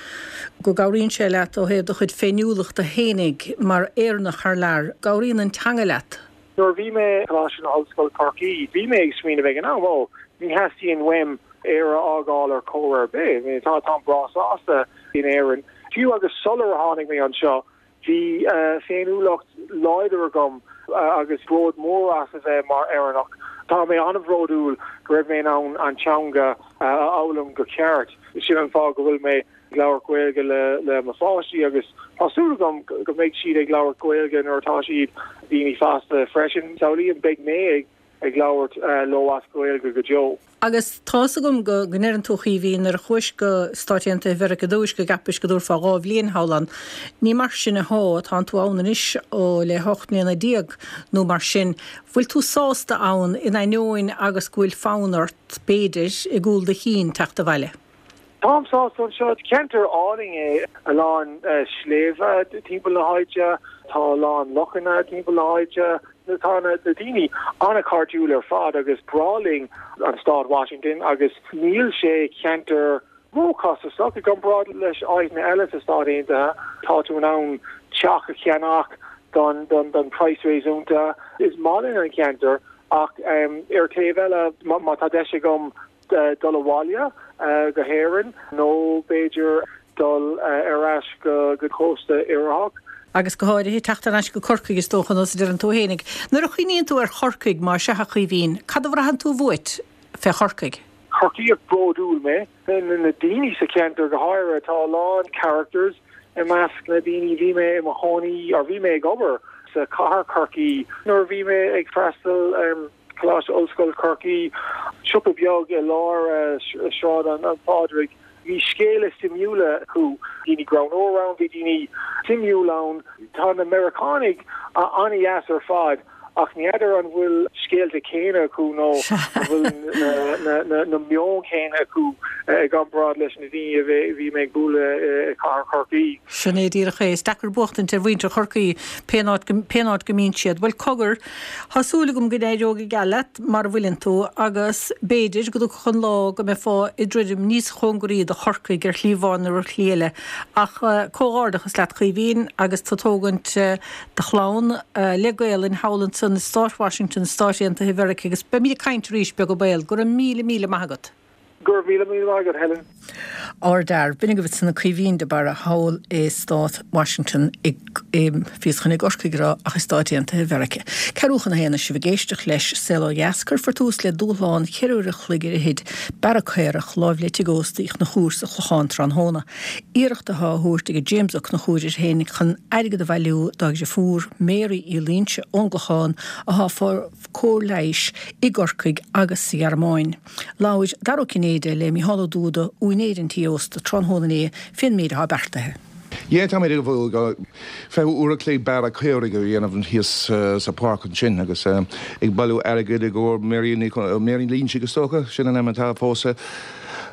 Go gcabhraíonn sé leat ó thaobh do chuid féiniúlachta fhéinig mar Éireannach thar lear, cabhraíonn an teanga leat. Nuair bhí mé Coláiste na hOllscoile Corcaigh, bhí mé ag smaoineamh ag an am ó ní theastaíonn uaim Éire a fhágáil ar chor ar bith. Tá tá breá sásta in Éirinn. Fiú agus sular tháinig mé anseo, bhí uh, féiniúlacht láidir agam uh, agus bród mór as a bheith mar Éireannach. Tá mé an-bhródúil go raibh mé in ann an teanga uh, a fhoghlaim go ceart. Sin an fáth go bhfuil mé ag labhairt Gaeilge le le mo pháistí agus tá súil agam go mbeidh siad ag labhairt Gaeilge nuair atá siad daoine fásta freisin. Samhlaím beidh mé ag ag labhairt leo as Gaeilge go deo. Agus tá's agam go ndeireann tú a Chaoimhín nuair a chuais go Stáit Aontaithe Mheiriceá ar dtúis go gceapais go dtabharfá dhá bhliain thall ann. Ní mar sin athá, tánn tú ann anois ó le hocht mbliana déag nó mar sin. Bhfuil tú sásta ann in ainneoin agus go bhfuil fonn ort, b'fhéidir, i gcúl do chinn teacht abhaile? Táim sásta anseo. Ceantar álainn é, a lán sléibhe timpeall na háite, tá a lán lochanna timpeall na háite, tá na daoine an-chairdiúil ar fad agus breá linn an stát Washington agus níl sé ceantar róchostasach i gcomparáid leis áiteanna eile sa Stát Aontaithe. Tá tú in ann teach a cheannach don don don praghas réasúnta. Is maith linn an ceantar ach ar taobh eile má tá deis agam dul abhaile go hÉirinn nó b'fhéidir dul ar ais go go cósta oirtheach. Agus go háirithe teacht ar ais go Corcaigh is dócha nós a deireann tú fhéinig. Nuair a chuimhníonn tú ar Chorcaigh mar sea a Chaoimhín, cad a bhraitheann tú uait fé Chorcaigh? Corcaíoch bródúil mé. Na daoine sa cheantar go háirithe, tá a lán characters i measc na daoine. Bhí mé i mo chónaí or bhí mé ag obair sa chathair Chorcaí nuair a bhí mé ag freastal ar Coláiste Ollscoile Chorcaí, siopa beag i lár Sráid an Phádraig. Bhí scéalta suimiúla acu, daoine greannmhar ann, bhí daoine suimiúil ann. Tá na Meiriceánaigh an-deas ar fad ach ní fheadar an bhfuil scéalta céanna acu nó an bhfuil na meon céanna acu i gcomparáid leis na daoine a bhí mé ag bualadh i gcathair Chorcaí. Sin é díreach é. Is deacair buachtaint ar mhuintir Chorcaí pén áit pén áit go mbíonn siad. Bhuel, cogar, tá súil agam go n-éireoidh go geal leat mar a bhfuileann tú agus b'fhéidir go dtiocfadh an lá go mbeifeá ag druidim níos cóngaraí do Chorcaigh ar shlí amháin nó ar shlí eile. Ach comhghairdeachas leat Caoimhín agus tú ag tógaint do chlann le Gaelainn thall ansan i Stát Washington, Stáit Aontaithe Mheiriceá agus beimid ag caint arís beag an baol. Go raibh míle míle maith agat. Go raibh míle míle maith agat, Helen. Ardfhear. B'in agaibh ansan Caoimhín de Barra thall i Stát Washington i bhíos chun i gCorcaigh a rá ach i Stáit Aontaithe Mheiriceá. Ceathrú chun a haon sibh ag éisteacht leis Saol Ó Dheas. Cuirfear tús le dúshlán cheithre uair a chloig ar fhichid Bearradh Caorach láimh le tigh ósta Uí Chonchúir sa Chlochán tráthnóna. Iarracht atá á thabhairt ag James Ó Conchúir air féin chun airgead a bhailiú dá dheirfiúr Mary Uí Loingsigh ón gClochán atá ag fáil cóir leighis i gCorcaigh agus sa Ghearmáin. Labhair Dara Ó Cinnéide le Mícheál Ó Dúda, úinéir an tí ósta, tráthnóna inné fén méid atá beartaithe. Yeah, táimid ag dul fiche uair a chloig bearradh caoirigh a dhéanamh thíos sa pháirc ansin agus ag bailiú airgid i gcomhair Mary Mary Loingsigh is dócha, sin an ainm atá fós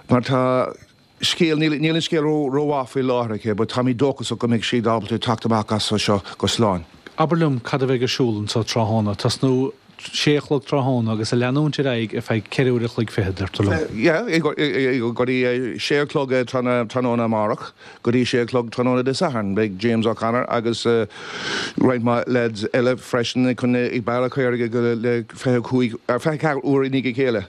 mar tá scéal, níl níl an scéal rómhaith faoi láthair aici but táimid dóchasach go mbeidh siad ábalta teacht amach as seo go slán. Abair liom cad a bheidh ar siúl anseo tráthnóna, tosnú sé a chlog tráthnóna agus a leanúint ar aghaidh ar feadh ceithre uair a chloig fichead, deirtear liom. Yeah, go dtí sé a chlog tráthnóna amárach go dtí sé a chlog tráthnóna Dé Sathairn. Beidh James O'Connor agus roinnt mhaith lads eile freisin chun ag bearradh caoirigh le fiche cúig, fiche ceathair uair i ndiaidh a chéile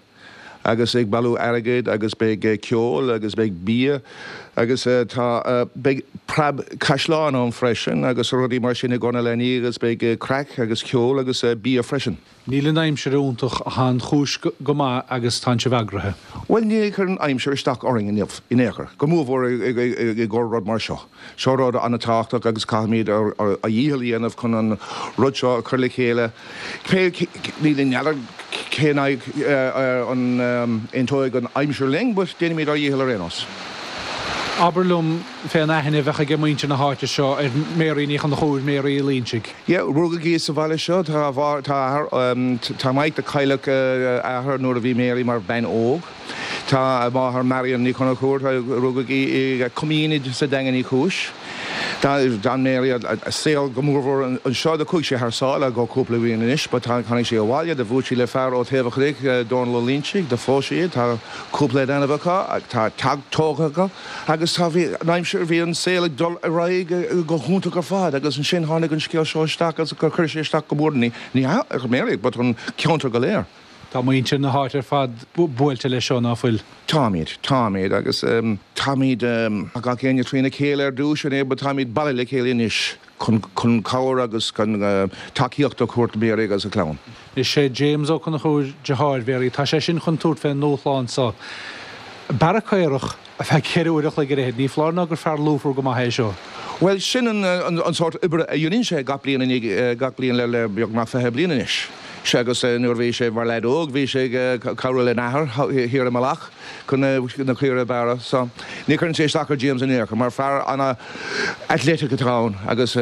agus ag bailiú airgid agus beidh ceol agus beidh bia agus tá beidh preab caisleán ann freisin agus rudaí mar sin i gcomhair na leanaí agus beidh craic agus ceol agus bia freisin. Níl an aimsir iontach ach tá an chúis go maith agus tá sibh eagraithe. Bhuel níor chuir an aimsir isteach orainn inniu in aon chor, go mórmhór i gcomhair rud mar seo. Seo rud an-tábhachtach agus caithfimid ár dhícheall a dhéanamh chun an rud seo a chur le chéile. Pé ní n'fheadar cén an aontóidh an aimsir linn but déanfaimid ár dhícheall ar aon nós. Abair liom fén aithne a bheadh ag muintir na háite seo ar Mary Ní Chonchúir, Mary Uí Loingsigh. Yeah, rugadh í sa bhaile seo. Tá a tá a athair, tá Mike do cailleadh a athair nuair a bhí Mary mar bhean óg. Tá a máthair Marion Ní Chonchúir, rugadh í i Coimín sa Daingean Uí Chúis. D'fhan Mary a saol go mórmhór anseo. Do chuaigh sí thar sáile go cúpla bliain anois but tháinig sí abhaile. Do bhuail sí le fear ó Taobh an Chnoic, Dónal Ó Loingsigh. Do phós sí. Tá cúpla leanbh acu. Tá teach tógtha acu agus tá bhí an aimsir bhí an saol ag dul ar aghaidh go hiontach ar fad agus ansin tháinig an scéal seo isteach agus chuir sé isteach go mór ní ní ar Mary but an ceantar go léir. Tá muintir na háite ar fad buailte leis seo, ná fuil? Táimid, táimid agus táimid gach éinne trína chéile ar dtús an é but táimid bailithe le chéile anois chun chun cabhair agus chun tacaíocht a thabhairt do Mary agus a clann. Is é James Ó Conchúir deartháir Mhary, tá sé sin chun tabhairt fén ndúshlán seo. Bearradh caorach ar feadh ceithre uair a chloig ar fhichead, ní foláir ná gur fear lúfar go maith é seo. Bhuel, sin an an sórt oibre a dhéanann sé gach bliain gach bliain le le beagnach fiche bliain anois. Sé agus nuair bhí sé mar leaid óg bhí sé ag cabhrú lena athair thiar i Mullach chun na caoirigh a bhearradh. So ní chuireann sé isteach ar James in aon chor mar fear ana-athletic atá ann agus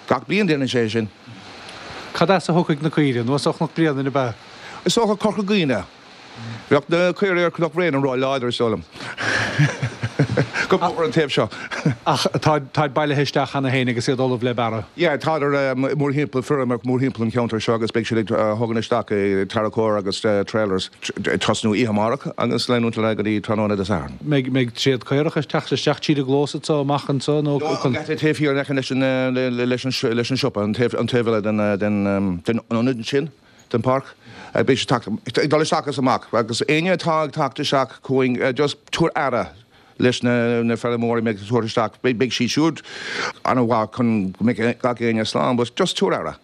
gach bliain déanann sé sin. Cad as a thiocfaidh na caoirigh? Anuas ó Chnoc Bréanainn ab ea? Is dócha Corca Dhuibhne. Bheadh na caoirigh ar Chnoc Bréanainn ró-láidir is dóigh liom. Go mór an taobh seo. Ach táid bailithe isteach cheana féin agus iad ullamh le bearradh. Yeah, tádar mórthimpeall, feirm mórthimpeall an cheantair seo agus beidh siad ag thógaint isteach i tarracóir agus trailers ag tosnú oíche amárach agus leanúint ar aghaidh go dtí tráthnóna Dé Sathairn. Mbeidh tréad caorach ag teacht isteach tríd an gclós anso amach anso nó? No, an geata taobh thiar in aice leis an leis an leis an siopa, an taobh an taobh eile den den den ionad sin, den pháirc. Beidh siad ag dul isteach agus amach agus éinne atá ag teacht isteach chugainn just tabhair aire leis na na feirmeoirí a mbeidh ag tabhairt isteach, beidh siad siúd an-mhaith chun go mbeidh gach éinne slán, but just tabhair aire,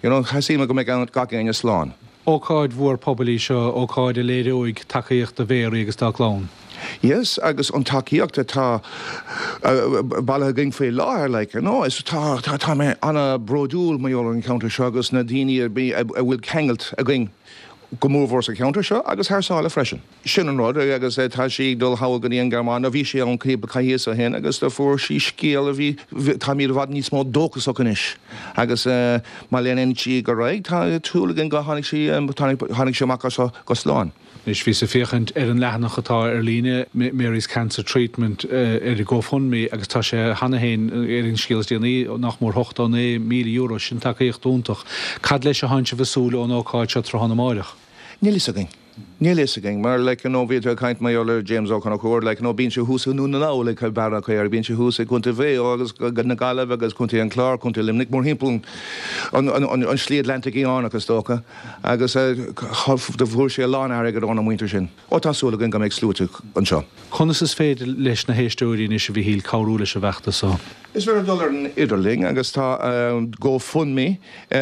you know, theastaíonn go mbeidh gach éinne slán. Ócáid mhór pobail í seo, ócáid a léireoidh tacaíocht do Mhéaraí agus dá clann. Yes, agus an tacaíocht atá bailithe againn faoi láthair, like, you know, is tá, tá, tá mé an-bhródúil mar gheall ar an cheantar seo agus na daoine a a bhfuil ceangailt againn go mórmhór sa cheantar seo agus thar sáile freisin. Sin an rud, agus tá sí ag dul thall go dtí an Ghearmáin, nó bhí sí ann cúpla coicíos ó shin agus do fuair sí scéal a bhí, táimid i bhfad níos mó dóchasach anois agus má leanann sí ar aghaidh, tá súil againn go tháinig sí, tháinig sí amach as seo go slán. Anois, bhíos ag féachaint ar an leathanach atá ar líne, Mary's Cancer Treatment, ar GoFundMe agus tá sé cheana féin, ar an scéal is déanaí, nach mór ochtó naoi míle euro. Sin tacaíocht iontach. Cad leis a thánn sibh ag súil ón ócáid seo tráthnóna amáireach? Níl fhios againn. Níl fhios againn, mar like you know bhí tú ag caint mar gheall ar James Ó Conchúir, like you know bíonn sé thuas i nDún na nGall ag bearradh caora, bíonn sé thuas i gContae Mhaigh Eo agus na Gaillimhe agus Contae an Chláir, Contae Luimnigh, mórthimpeall an, an, an, an Slí Atlantaigh Fhiáin is dócha, agus do fuair sé a lán airgid óna muintir sin. Ó tá súil againn go mbeidh sluaite anseo. Conas is féidir leis na héisteoirí anois, a Mhíchíl, cabhrú leis an bhfeachtas so? Is féidir dul ar an idirlíon agus tá GoFundMe,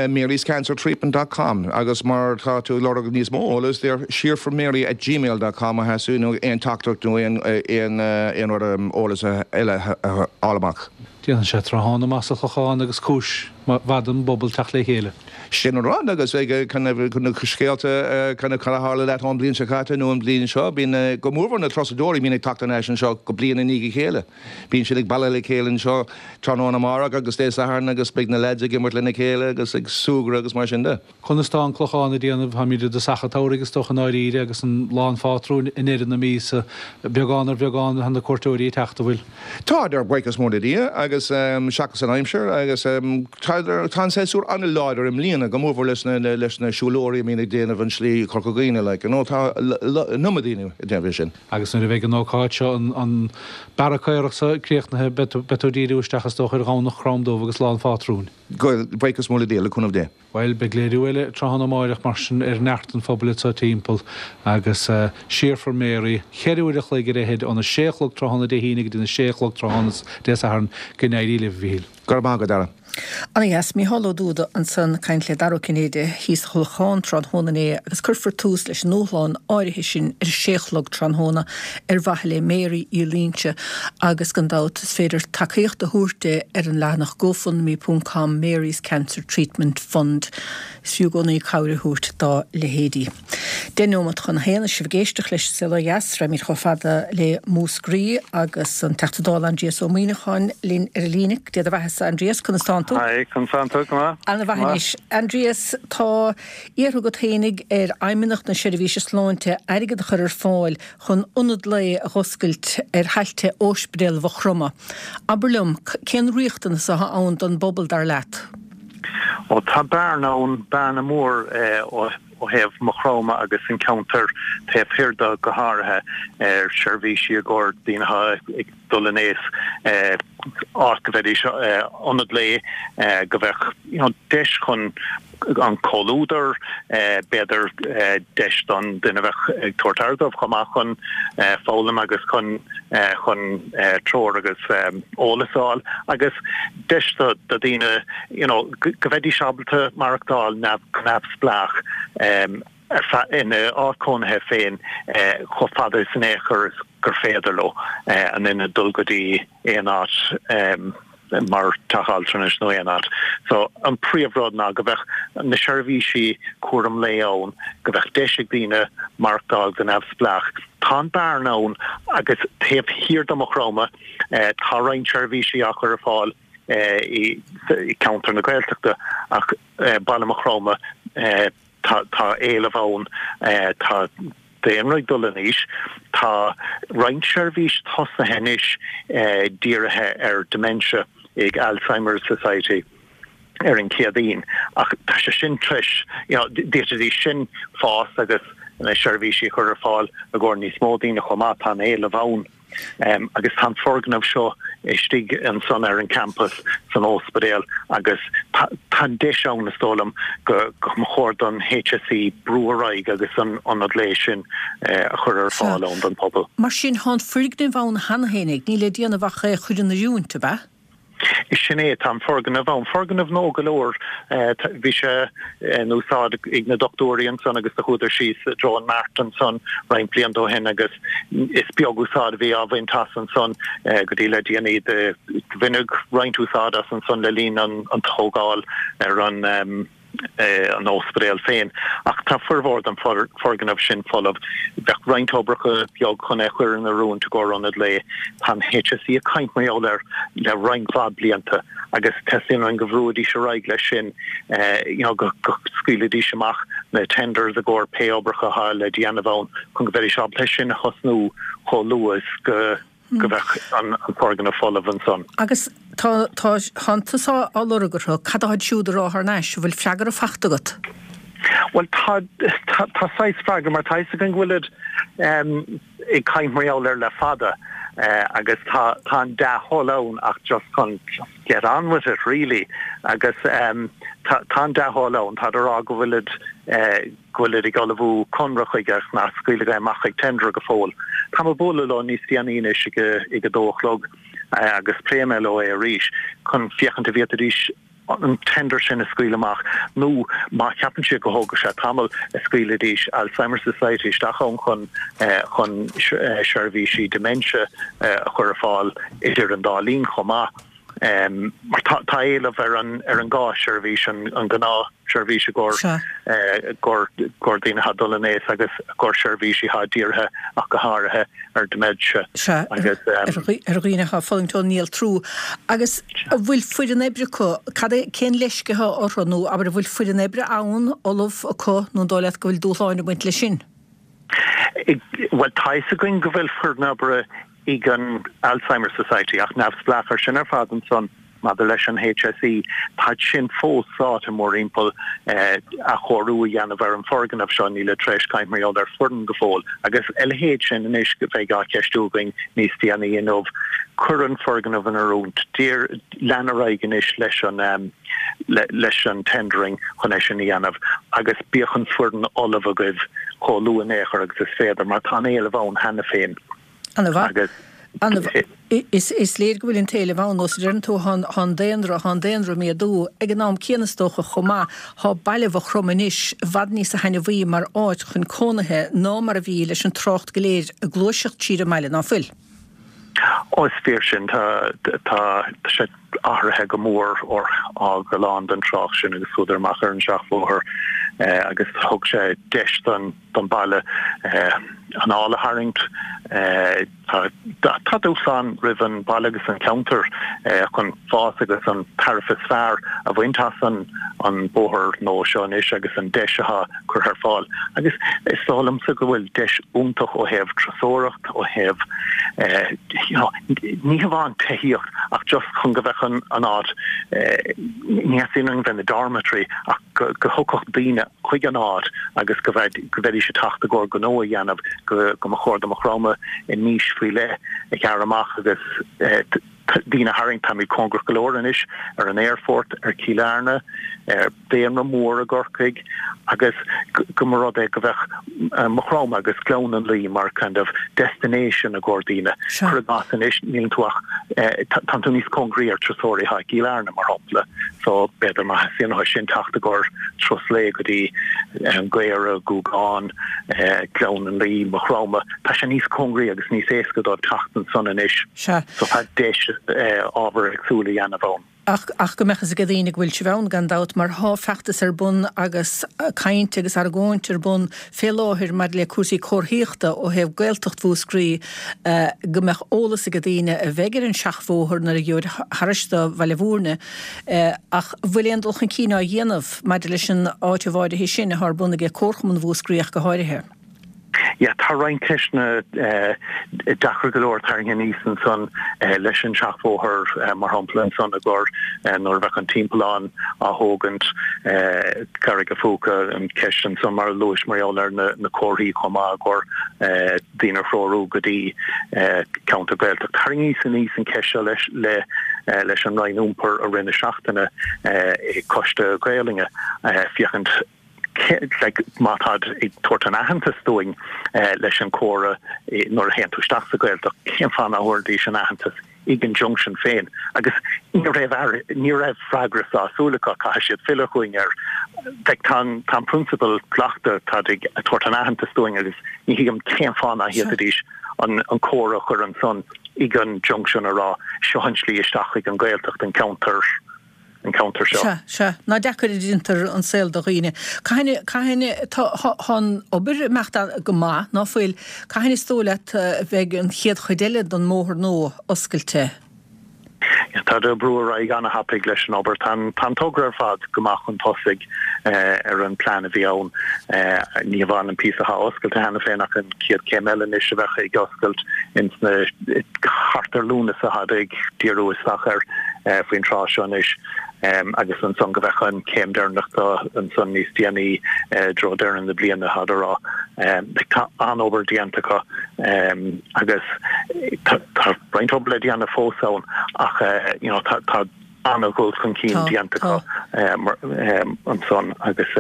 Mary's Cancer Treatment dot com agus má tá tú ag lorg níos mó eolas deir shear for Mary at gmail dot com má theastaíonn nó aon teachtaireacht nó aon aon aon rud eolas eile a fháil amach. Déanann sé tráthnóna maith sa Chlochán agus cúis mhaith don bpobal teacht le chéile. Sin an rud agus ag chun na scéalta kind of cad a tharla leat ón bliain seo caite nó an bliain seo, bíonn go mórmhór na turasóirí bíonn ag teacht ar ais anseo go bliain i ndiaidh a chéile. Bíonn siad ag bailiú le chéile anseo tráthnóna amárach agus Dé Sathairn agus beidh na leaids ag imirt lena chéile agus ag súgradh agus mar sin de. Conas tá an Clochán ag déanamh? Táimid i dtosach an tsamhraidh is dócha i ndáiríre agus an Lá an Phátrúin i ndeireadh na míosa. Beagán ar bheagán tá na cuairteoirí ag teacht, an bhfuil? Tádar, buíochas mór le Dia agus seachas an aimsir agus tá tá an séasúr an-láidir i mbliana, go mórmhór leis na leis na siúlóirí a mbíonn ag déanamh an slí Chorca Dhuibhne like you know tá an iomad daoine ag déanamh é sin. Agus nuair a bheidh an ócáid seo, an an bearradh caorach seo críochnaithe, beidh tú beidh tú ag díriú isteach is dócha ar Dhomhnach Crom Dubh agus Lá an Phátrúin. Buíochas mór le Dia, le cúnamh Dé. Bhuel, beidh léiriú eile tráthnóna amáireach mar sin ar neart an phobail anseo timpeall agus Shear for Mary, ceithre uair a chloig ar fhichead óna sé a chlog tráthnóna Dé hAoine go dtí na sé a chlog tráthnóna Dé Sathairn. Go n-éirí libh, a Mhíchíl. Go raibh maith agat, a Dhara. Ana dheas. Mícheál Ó Dúda ansan ag caint le Dara Ó Cinnéide thíos sa Chlochán tráthnóna inné agus cuirfear tús leis an ndúshlán áirithe sin ar a sé a chlog tráthnóna ar mhaithe le Mary Uí Loingsigh agus gan dabht is féidir tacaíocht a thabhairt di ar an leathanach gofundme ponc com Mary's Cancer Treatment Fund. Is fiú i gcónaí cabhair a thabhairt dá leithéidí. Deich nóimeat chun a haon is sibh ag éisteacht leis An Saol Ó Dheas. Raghaimid chomh fada le Múscraí agus an Teachta Dála Aindrias Ó Muimhneacháin linn ar an líne. Dé do bheathasa, Aindrias, conas tánn tú? Hi, conas tánn tú? Go maith. Ana-mhaith anois. Aindrias, tá iarrtha agat fhéinig ar Fheidhmeannacht na Seirbhíse Sláinte airgead a chur ar fáil chun ionad lae a dh'oscailt ar thailte Ospidéal Mhaigh Chromtha. Abair liom, cén riachtanas atá ann don bpobal, dar leat? Ó tá bearna ann, bearna mór ó thaobh Maigh Chromtha agus an ceantar taobh thiar de go háirithe, ar seirbhísí i gcomhair daoine atá ag dul in aois, áit go mbeidís, ionad lae, go mbeadh you know deis chun an comhluadar, b'fhéidir deis don duine a bheadh ag tabhairt aire dóibh chomh maith chun foghlaim agus chun chun treoir agus eolas a fháil agus deis do dhaoine you know go mbeidís ábalta maireachtáil go neamhspleách ar feadh ina áit cónaithe féin chomh fada is in aon chor is gur féidir leo in ionad dul go dtí aon áit mar teach altranais nó aon áit. So an príomhrud ná go bheadh na seirbhísí cúram lae ann, go bheadh deis ag daoine maireachtáil go neamhspleách. Tá an bearna ann agus taobh thiar de Mhaigh Chromtha tá roinnt seirbhísí á chur ar fáil i gceantar na Gaeltachta ach baile Mhaigh Chromtha tá éileamh ann, tá daonra ag dul in aois, tá roinnt seirbhís tosaithe anois dírithe ar dementia ag Alzheimer's Society ar an Chéadaoin ach tá sé sin treis, you know, d'fhéadfaidís sin fás agus na seirbhísí a chur ar fáil i gcomhair níos mó daoine chomh maith, tá an éileamh ann. Agus tá an foirgneamh seo istigh ansan ar an campas san ospidéal agus tá an deis ann, is dóigh liom, go mba chóir don HSE brú ar aghaidh agus an ionad lae sin a chur ar fáil ann don phobal. Mar sin, tá an foirgneamh ann cheana féinig, níl le déanamh ach é a chur in oiriúint, ab ea? Sin é, tá an foirgneamh ann. Foirgneamh nua go leor. Bhí sé in úsáid ag na dochtúirí ansan agus do chuadar síos i dtreo an Mart ansan roinnt blianta ó shin agus is beag úsáid a bhí á bhaint as ansan go dtí le déanaí. Do baineadh roinnt úsáid as ansan le linn an tógáil ar an an ospidéal féin. Ach tá formhór den foirgneamh sin folamh. Bheadh roinnt oibreacha beag chun é a chur in oiriúint i gcomhair ionad lae. Tá an HSE ag caint mar gheall air le roinnt mhaith blianta agus teastaíonn uainn go bhrúidís ar aghaidh leis sin, you know, go scaoilfidís amach na tenders i gcomhair pé oibreacha atá le déanamh ann chun go mbeidís ábalta é sin a thosnú chomh luath is go go mbeadh an foirgneamh folamh ansan. Agus tá, tá, tánn tusa á lorg orthu, cad atáid siúd a rá thar n-ais, an bhfuil freagra fachta agat? Bhuel, tá, tá, tá saghas freagra, mar tá fhios againn go bhfuilid ag caint mar gheall air le fada agus tá, tá an dea-thoil ann ach just chun just get on with it really agus tá, tá an dea-thoil ann, táid a rá go bhfuilid, go bhfuilid ag ullmhú conradh chuige ach nár scaoileadh é amach ag tender go fóill. Táim ag bualadh leo níos déanaí anois ag ag a dó a chlog agus pléifidh mé leo é arís chun féachaint an bhféadfaidís an tender sin a scaoileadh amach nó má cheapann siad go thógfaidh sé tamall a scaoilfidís Alzheimer's Society isteach ann chun chun seirbhísí dementia a chur ar fáil idir an dá linn chomh maith. Mar tá tá éileamh ar an ar an dhá sheirbhís, an an ghnáthsheirbhís i gcomhair gcomhair daoine atá ag dul in aois agus i gcomhair seirbhísí atá dírithe ach go háirithe ar dementia Sea, agus ar dhaoine atá ag fulaingt ón néaltrú. Agus an bhfuil foireann oibre acu? Cad é, cén leisce atá orthu nó abair an bhfuil foireann oibre ann, ullamh acu nó an dóigh leat go bhfuil dúshláin ag baint leis sin? Bhuel, tá fhios againn go bhfuil foireann oibre ag an Alzheimer's Society, ach neamhspleách ar sin ar fad ansan maidir leis an HSE, táid sin fós sáite mórthimpeall athchóiriú a dhéanamh ar an foirgneamh seo, nílid tar éis caint mar gheall ar foireann go fóill. Agus a leithéid sin anois a bheidh á cheistiú againn níos déanaí inniu. Cuir an foirgneamh in oiriúint, lean ar aghaidh anois leis an leis an tendering chun é sin a dhéanamh agus bíodh an foireann ullamh agaibh chomh luath in aon chor agus is féidir mar tá an éileamh ann cheana féin. Ana-mhaith. Ana-mhaith. Is, is léir go bhfuil an t-éileamh ann, nó is a deireann tú, thá, thá an daonra, thá an daonra ag méadú. Ag an am céanna is dócha chomh maith, thá baile Mhaigh Chromtha anois i bhfad níosa thaitneamhaí mar áit chun cónaithe ná mar a bhí leis an trácht go léir ag gluaiseacht siar an mbaile, ná fuil? Ó, is fíor sin. Tá, tá sé athraithe go mór ó fhág a lán den trácht sin agus chuadar amach ar an seachbhóthar agus thug sé deis don, don baile anáil a tharraingt. Tá dúshlán roimh an baile agus an ceantar chun fás agus an tairbhe is fearr a bhaint as an bóthar nua seo anois agus an deis atá curtha ar fáil. Agus is dóigh liomsa go bhfuil deis iontach ó thaobh turasóireacht, ó thaobh you know ní hamháin tithíocht ach just chun go mbeadh an áit, ní theastaíonn uainn bheith ina dormitory ach go dtiocfadh daoine chuig an áit agus go mbeidís ag teacht i gcomhair gnó a dhéanamh, go mba chóir do Maigh Chromtha a niche faoi leith a ghearradh amach agus daoine a tharraingt. Táimid cóngarach go leor anois ar an aerfort, ar Chill Airne, ar daonra mór i gCorcaigh agus go mba rud é go mbeadh Maigh Chromtha agus Gleann an Laoi mar kind of destination i gcomhair daoine. Cuir i gcás anois, níleann tú ach, tánn tú níos cóngaraí ar turasóirí atá i gCill Airne, mar shampla, so b'fhéidir má theastaíonn uathu sin teacht i gcomhair turas lae go dtí an Gaora, Gougane, Gleann an Laoi, Maigh Chromtha, tá sé níos cóngaraí agus níos éasca dóibh teacht ansan anois. Sea. So tá deis ábhar éagsúil a dhéanamh ann. Ach, ach go mbeadh fhios ag daoine go bhfuil sibh ann gan dabht mar thá feachtas ar bun agus caint agus argóint ar bun fé láthair maidir le cúrsaí comharthaíochta ó thaobh Gaeltacht Mhúscraí go mbeadh eolas ag daoine a bheidh ar an seachbhóthar nuair a gheobhaid thairis do Bhaile Bhúirne ach bhfuil aon dul chun cinn á dhéanamh maidir leis an áiteamh áirithe sin athá ar bun aige Comharchumann Mhúscraí ach go háirithe. Yeah, tá roinnt ceisteanna deacair go leor tarraingthe aníos ansan leis an seachbhóthar, mar shampla ansan i gcomhair nuair a bheadh an timpeallán á thógaint, Carraig a' Phúca, an ceist ansan mar a luais mar gheall ar na comharthaí chomh maith i gcomhair daoine a threorú go dtí ceantar Gaeltacht. Tharraingíos aníos an ceist seo leis leis an Roinn Iompair i rith na seachtaine i Coiste Gaolainne féachaint like má táid ag tabhairt an aitheantas dúinn leis an comhartha nuair a théann tú isteach sa Ghaeltacht, cén fáth nach dtabharfaidís an aitheantas ag an junction féin? Agus ní raibh ní raibh freagra sásúil acu, caithfidh siad filleadh chugainn air. Like tá an tá an prionsabal glactha, táid ag tabhairt an aitheantas dúinn agus ní thuigim cén fáth nach bhféadfaidís an an comhartha a chur ansan ag an junction a rá seo an tslí isteach chuig an Ghaeltacht, an ceantar. an ceantar seo. Sea, sea. Ná deacair a déantar an saol do dhaoine. Cathain, cathain, tá, tá an obair ag imeacht go maith, ná fuil? Cathain is dóigh leat a bheidh an chéad chuid eile den mbóthar nua oscailte? Tá ag brú ar aghaidh ana-thapaidh leis an obair. Tá an, tá an togra ar fad go maith chun tosaigh ar an plean a bhí ann. Ní hamháin an píosa atá oscailte cheana féin ach an chéad chéim eile anois a bheadh ag oscailt ins na, thart ar Lúnasa atáid ag díriú isteach air. faoin tráth seo anois agus ansan go bheadh an chéim deireanach do ansan níos déanaí i dtreo deireadh na bliana táid a rá. Tá an-obair déanta acu agus tá roinnt obair le déanamh fós ann ach you know tá tá an-dhul chun cinn déanta acu ansan agus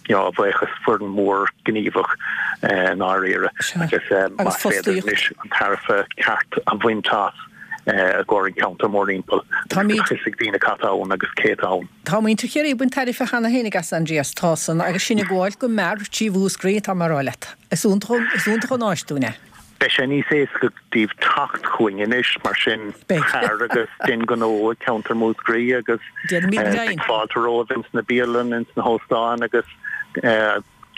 you know a bhuíochas foireann mór gníomhach i ndáiríre agus más féidir anois an tairbhe ceart a bhaint as i gcomhair an ceantar mórthimpeall agus fios ag daoine cad tá ann agus cé atá ann. Tá muintir Chiarraí ag baint tairbhe cheana féinig as, Aindrias, tá san, agus sinn ag gabháil go mear trí Mhúscraí, tá mé a rá leat. Is iontach an áis dúinn é. Beidh sé níos éasca daoibh teacht chugainn anois, mar sin, tar agus dein gnó i gceantar Mhúscraí agus beidh fáilte romhaibh ins na bialanna, ins na hóstáin agus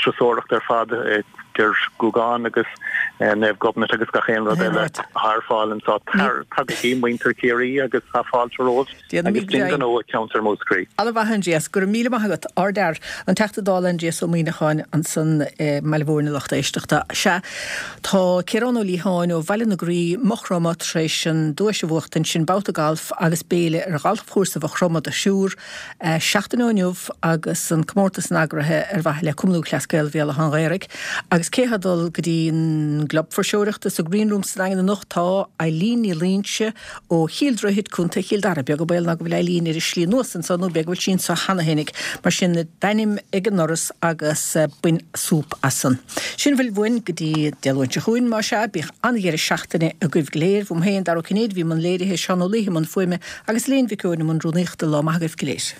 turasóireacht ar fad idir Gúgán agus Naomh Gobnait agus gach aon rud eile atá ar fáil anseo. Tagaigí, muintir Chiarraí, agus tá fáilte romhaibh agus dein gnó i gceantar Mhúscraí. Ana-mhaith, Aindrias. Go raibh míle maith agat. Ardfhear. An Teachta Dála Aindrias Ó Muimhneacháin ansan i mBaile Bhúirne, lucht éisteachta. Sea, tá Ciarán Ó Liatháin ó Bhaile na Graí, Maigh Chromtha, tar éis an duais a bhuachtaint, sin babhta gailf agus béile ar ghalfchúrsa Mhaigh Chromtha do thriúr. Seachtain ó inniu agus an comórtas san eagraithe ar mhaithe le Cumann Lúthchleas Gael Bhéal Átha an Ghaorthaidh. Agus cé atá ag dul go dtí an gclub fuirseoireachta sa Green Room sa Daingean anocht tá Eileen Ní Loingsigh ó Chill Droichid, Contae Chill Dara. Beag an baol ná go bhfuil Eileen ar a slí anuas anso nó b'fhéidir go bhfuil sí anso cheana fhéinig. Mar sin d'ainm ag an ndoras agus bain súp as san. Sin a bhfuil uainn go dtí Dé Luain seo chugainn, más ea. Bíodh an-dheireadh seachtaine agaibh go léir. Uaim féin, Dara Ó Cinnéide, a bhí i mbun léirithe, Seán Ó Laoithe i mbun fuaime agus Elaine Mhic Eoin i mbun rúnaíochta. Lá maith agaibh go léir.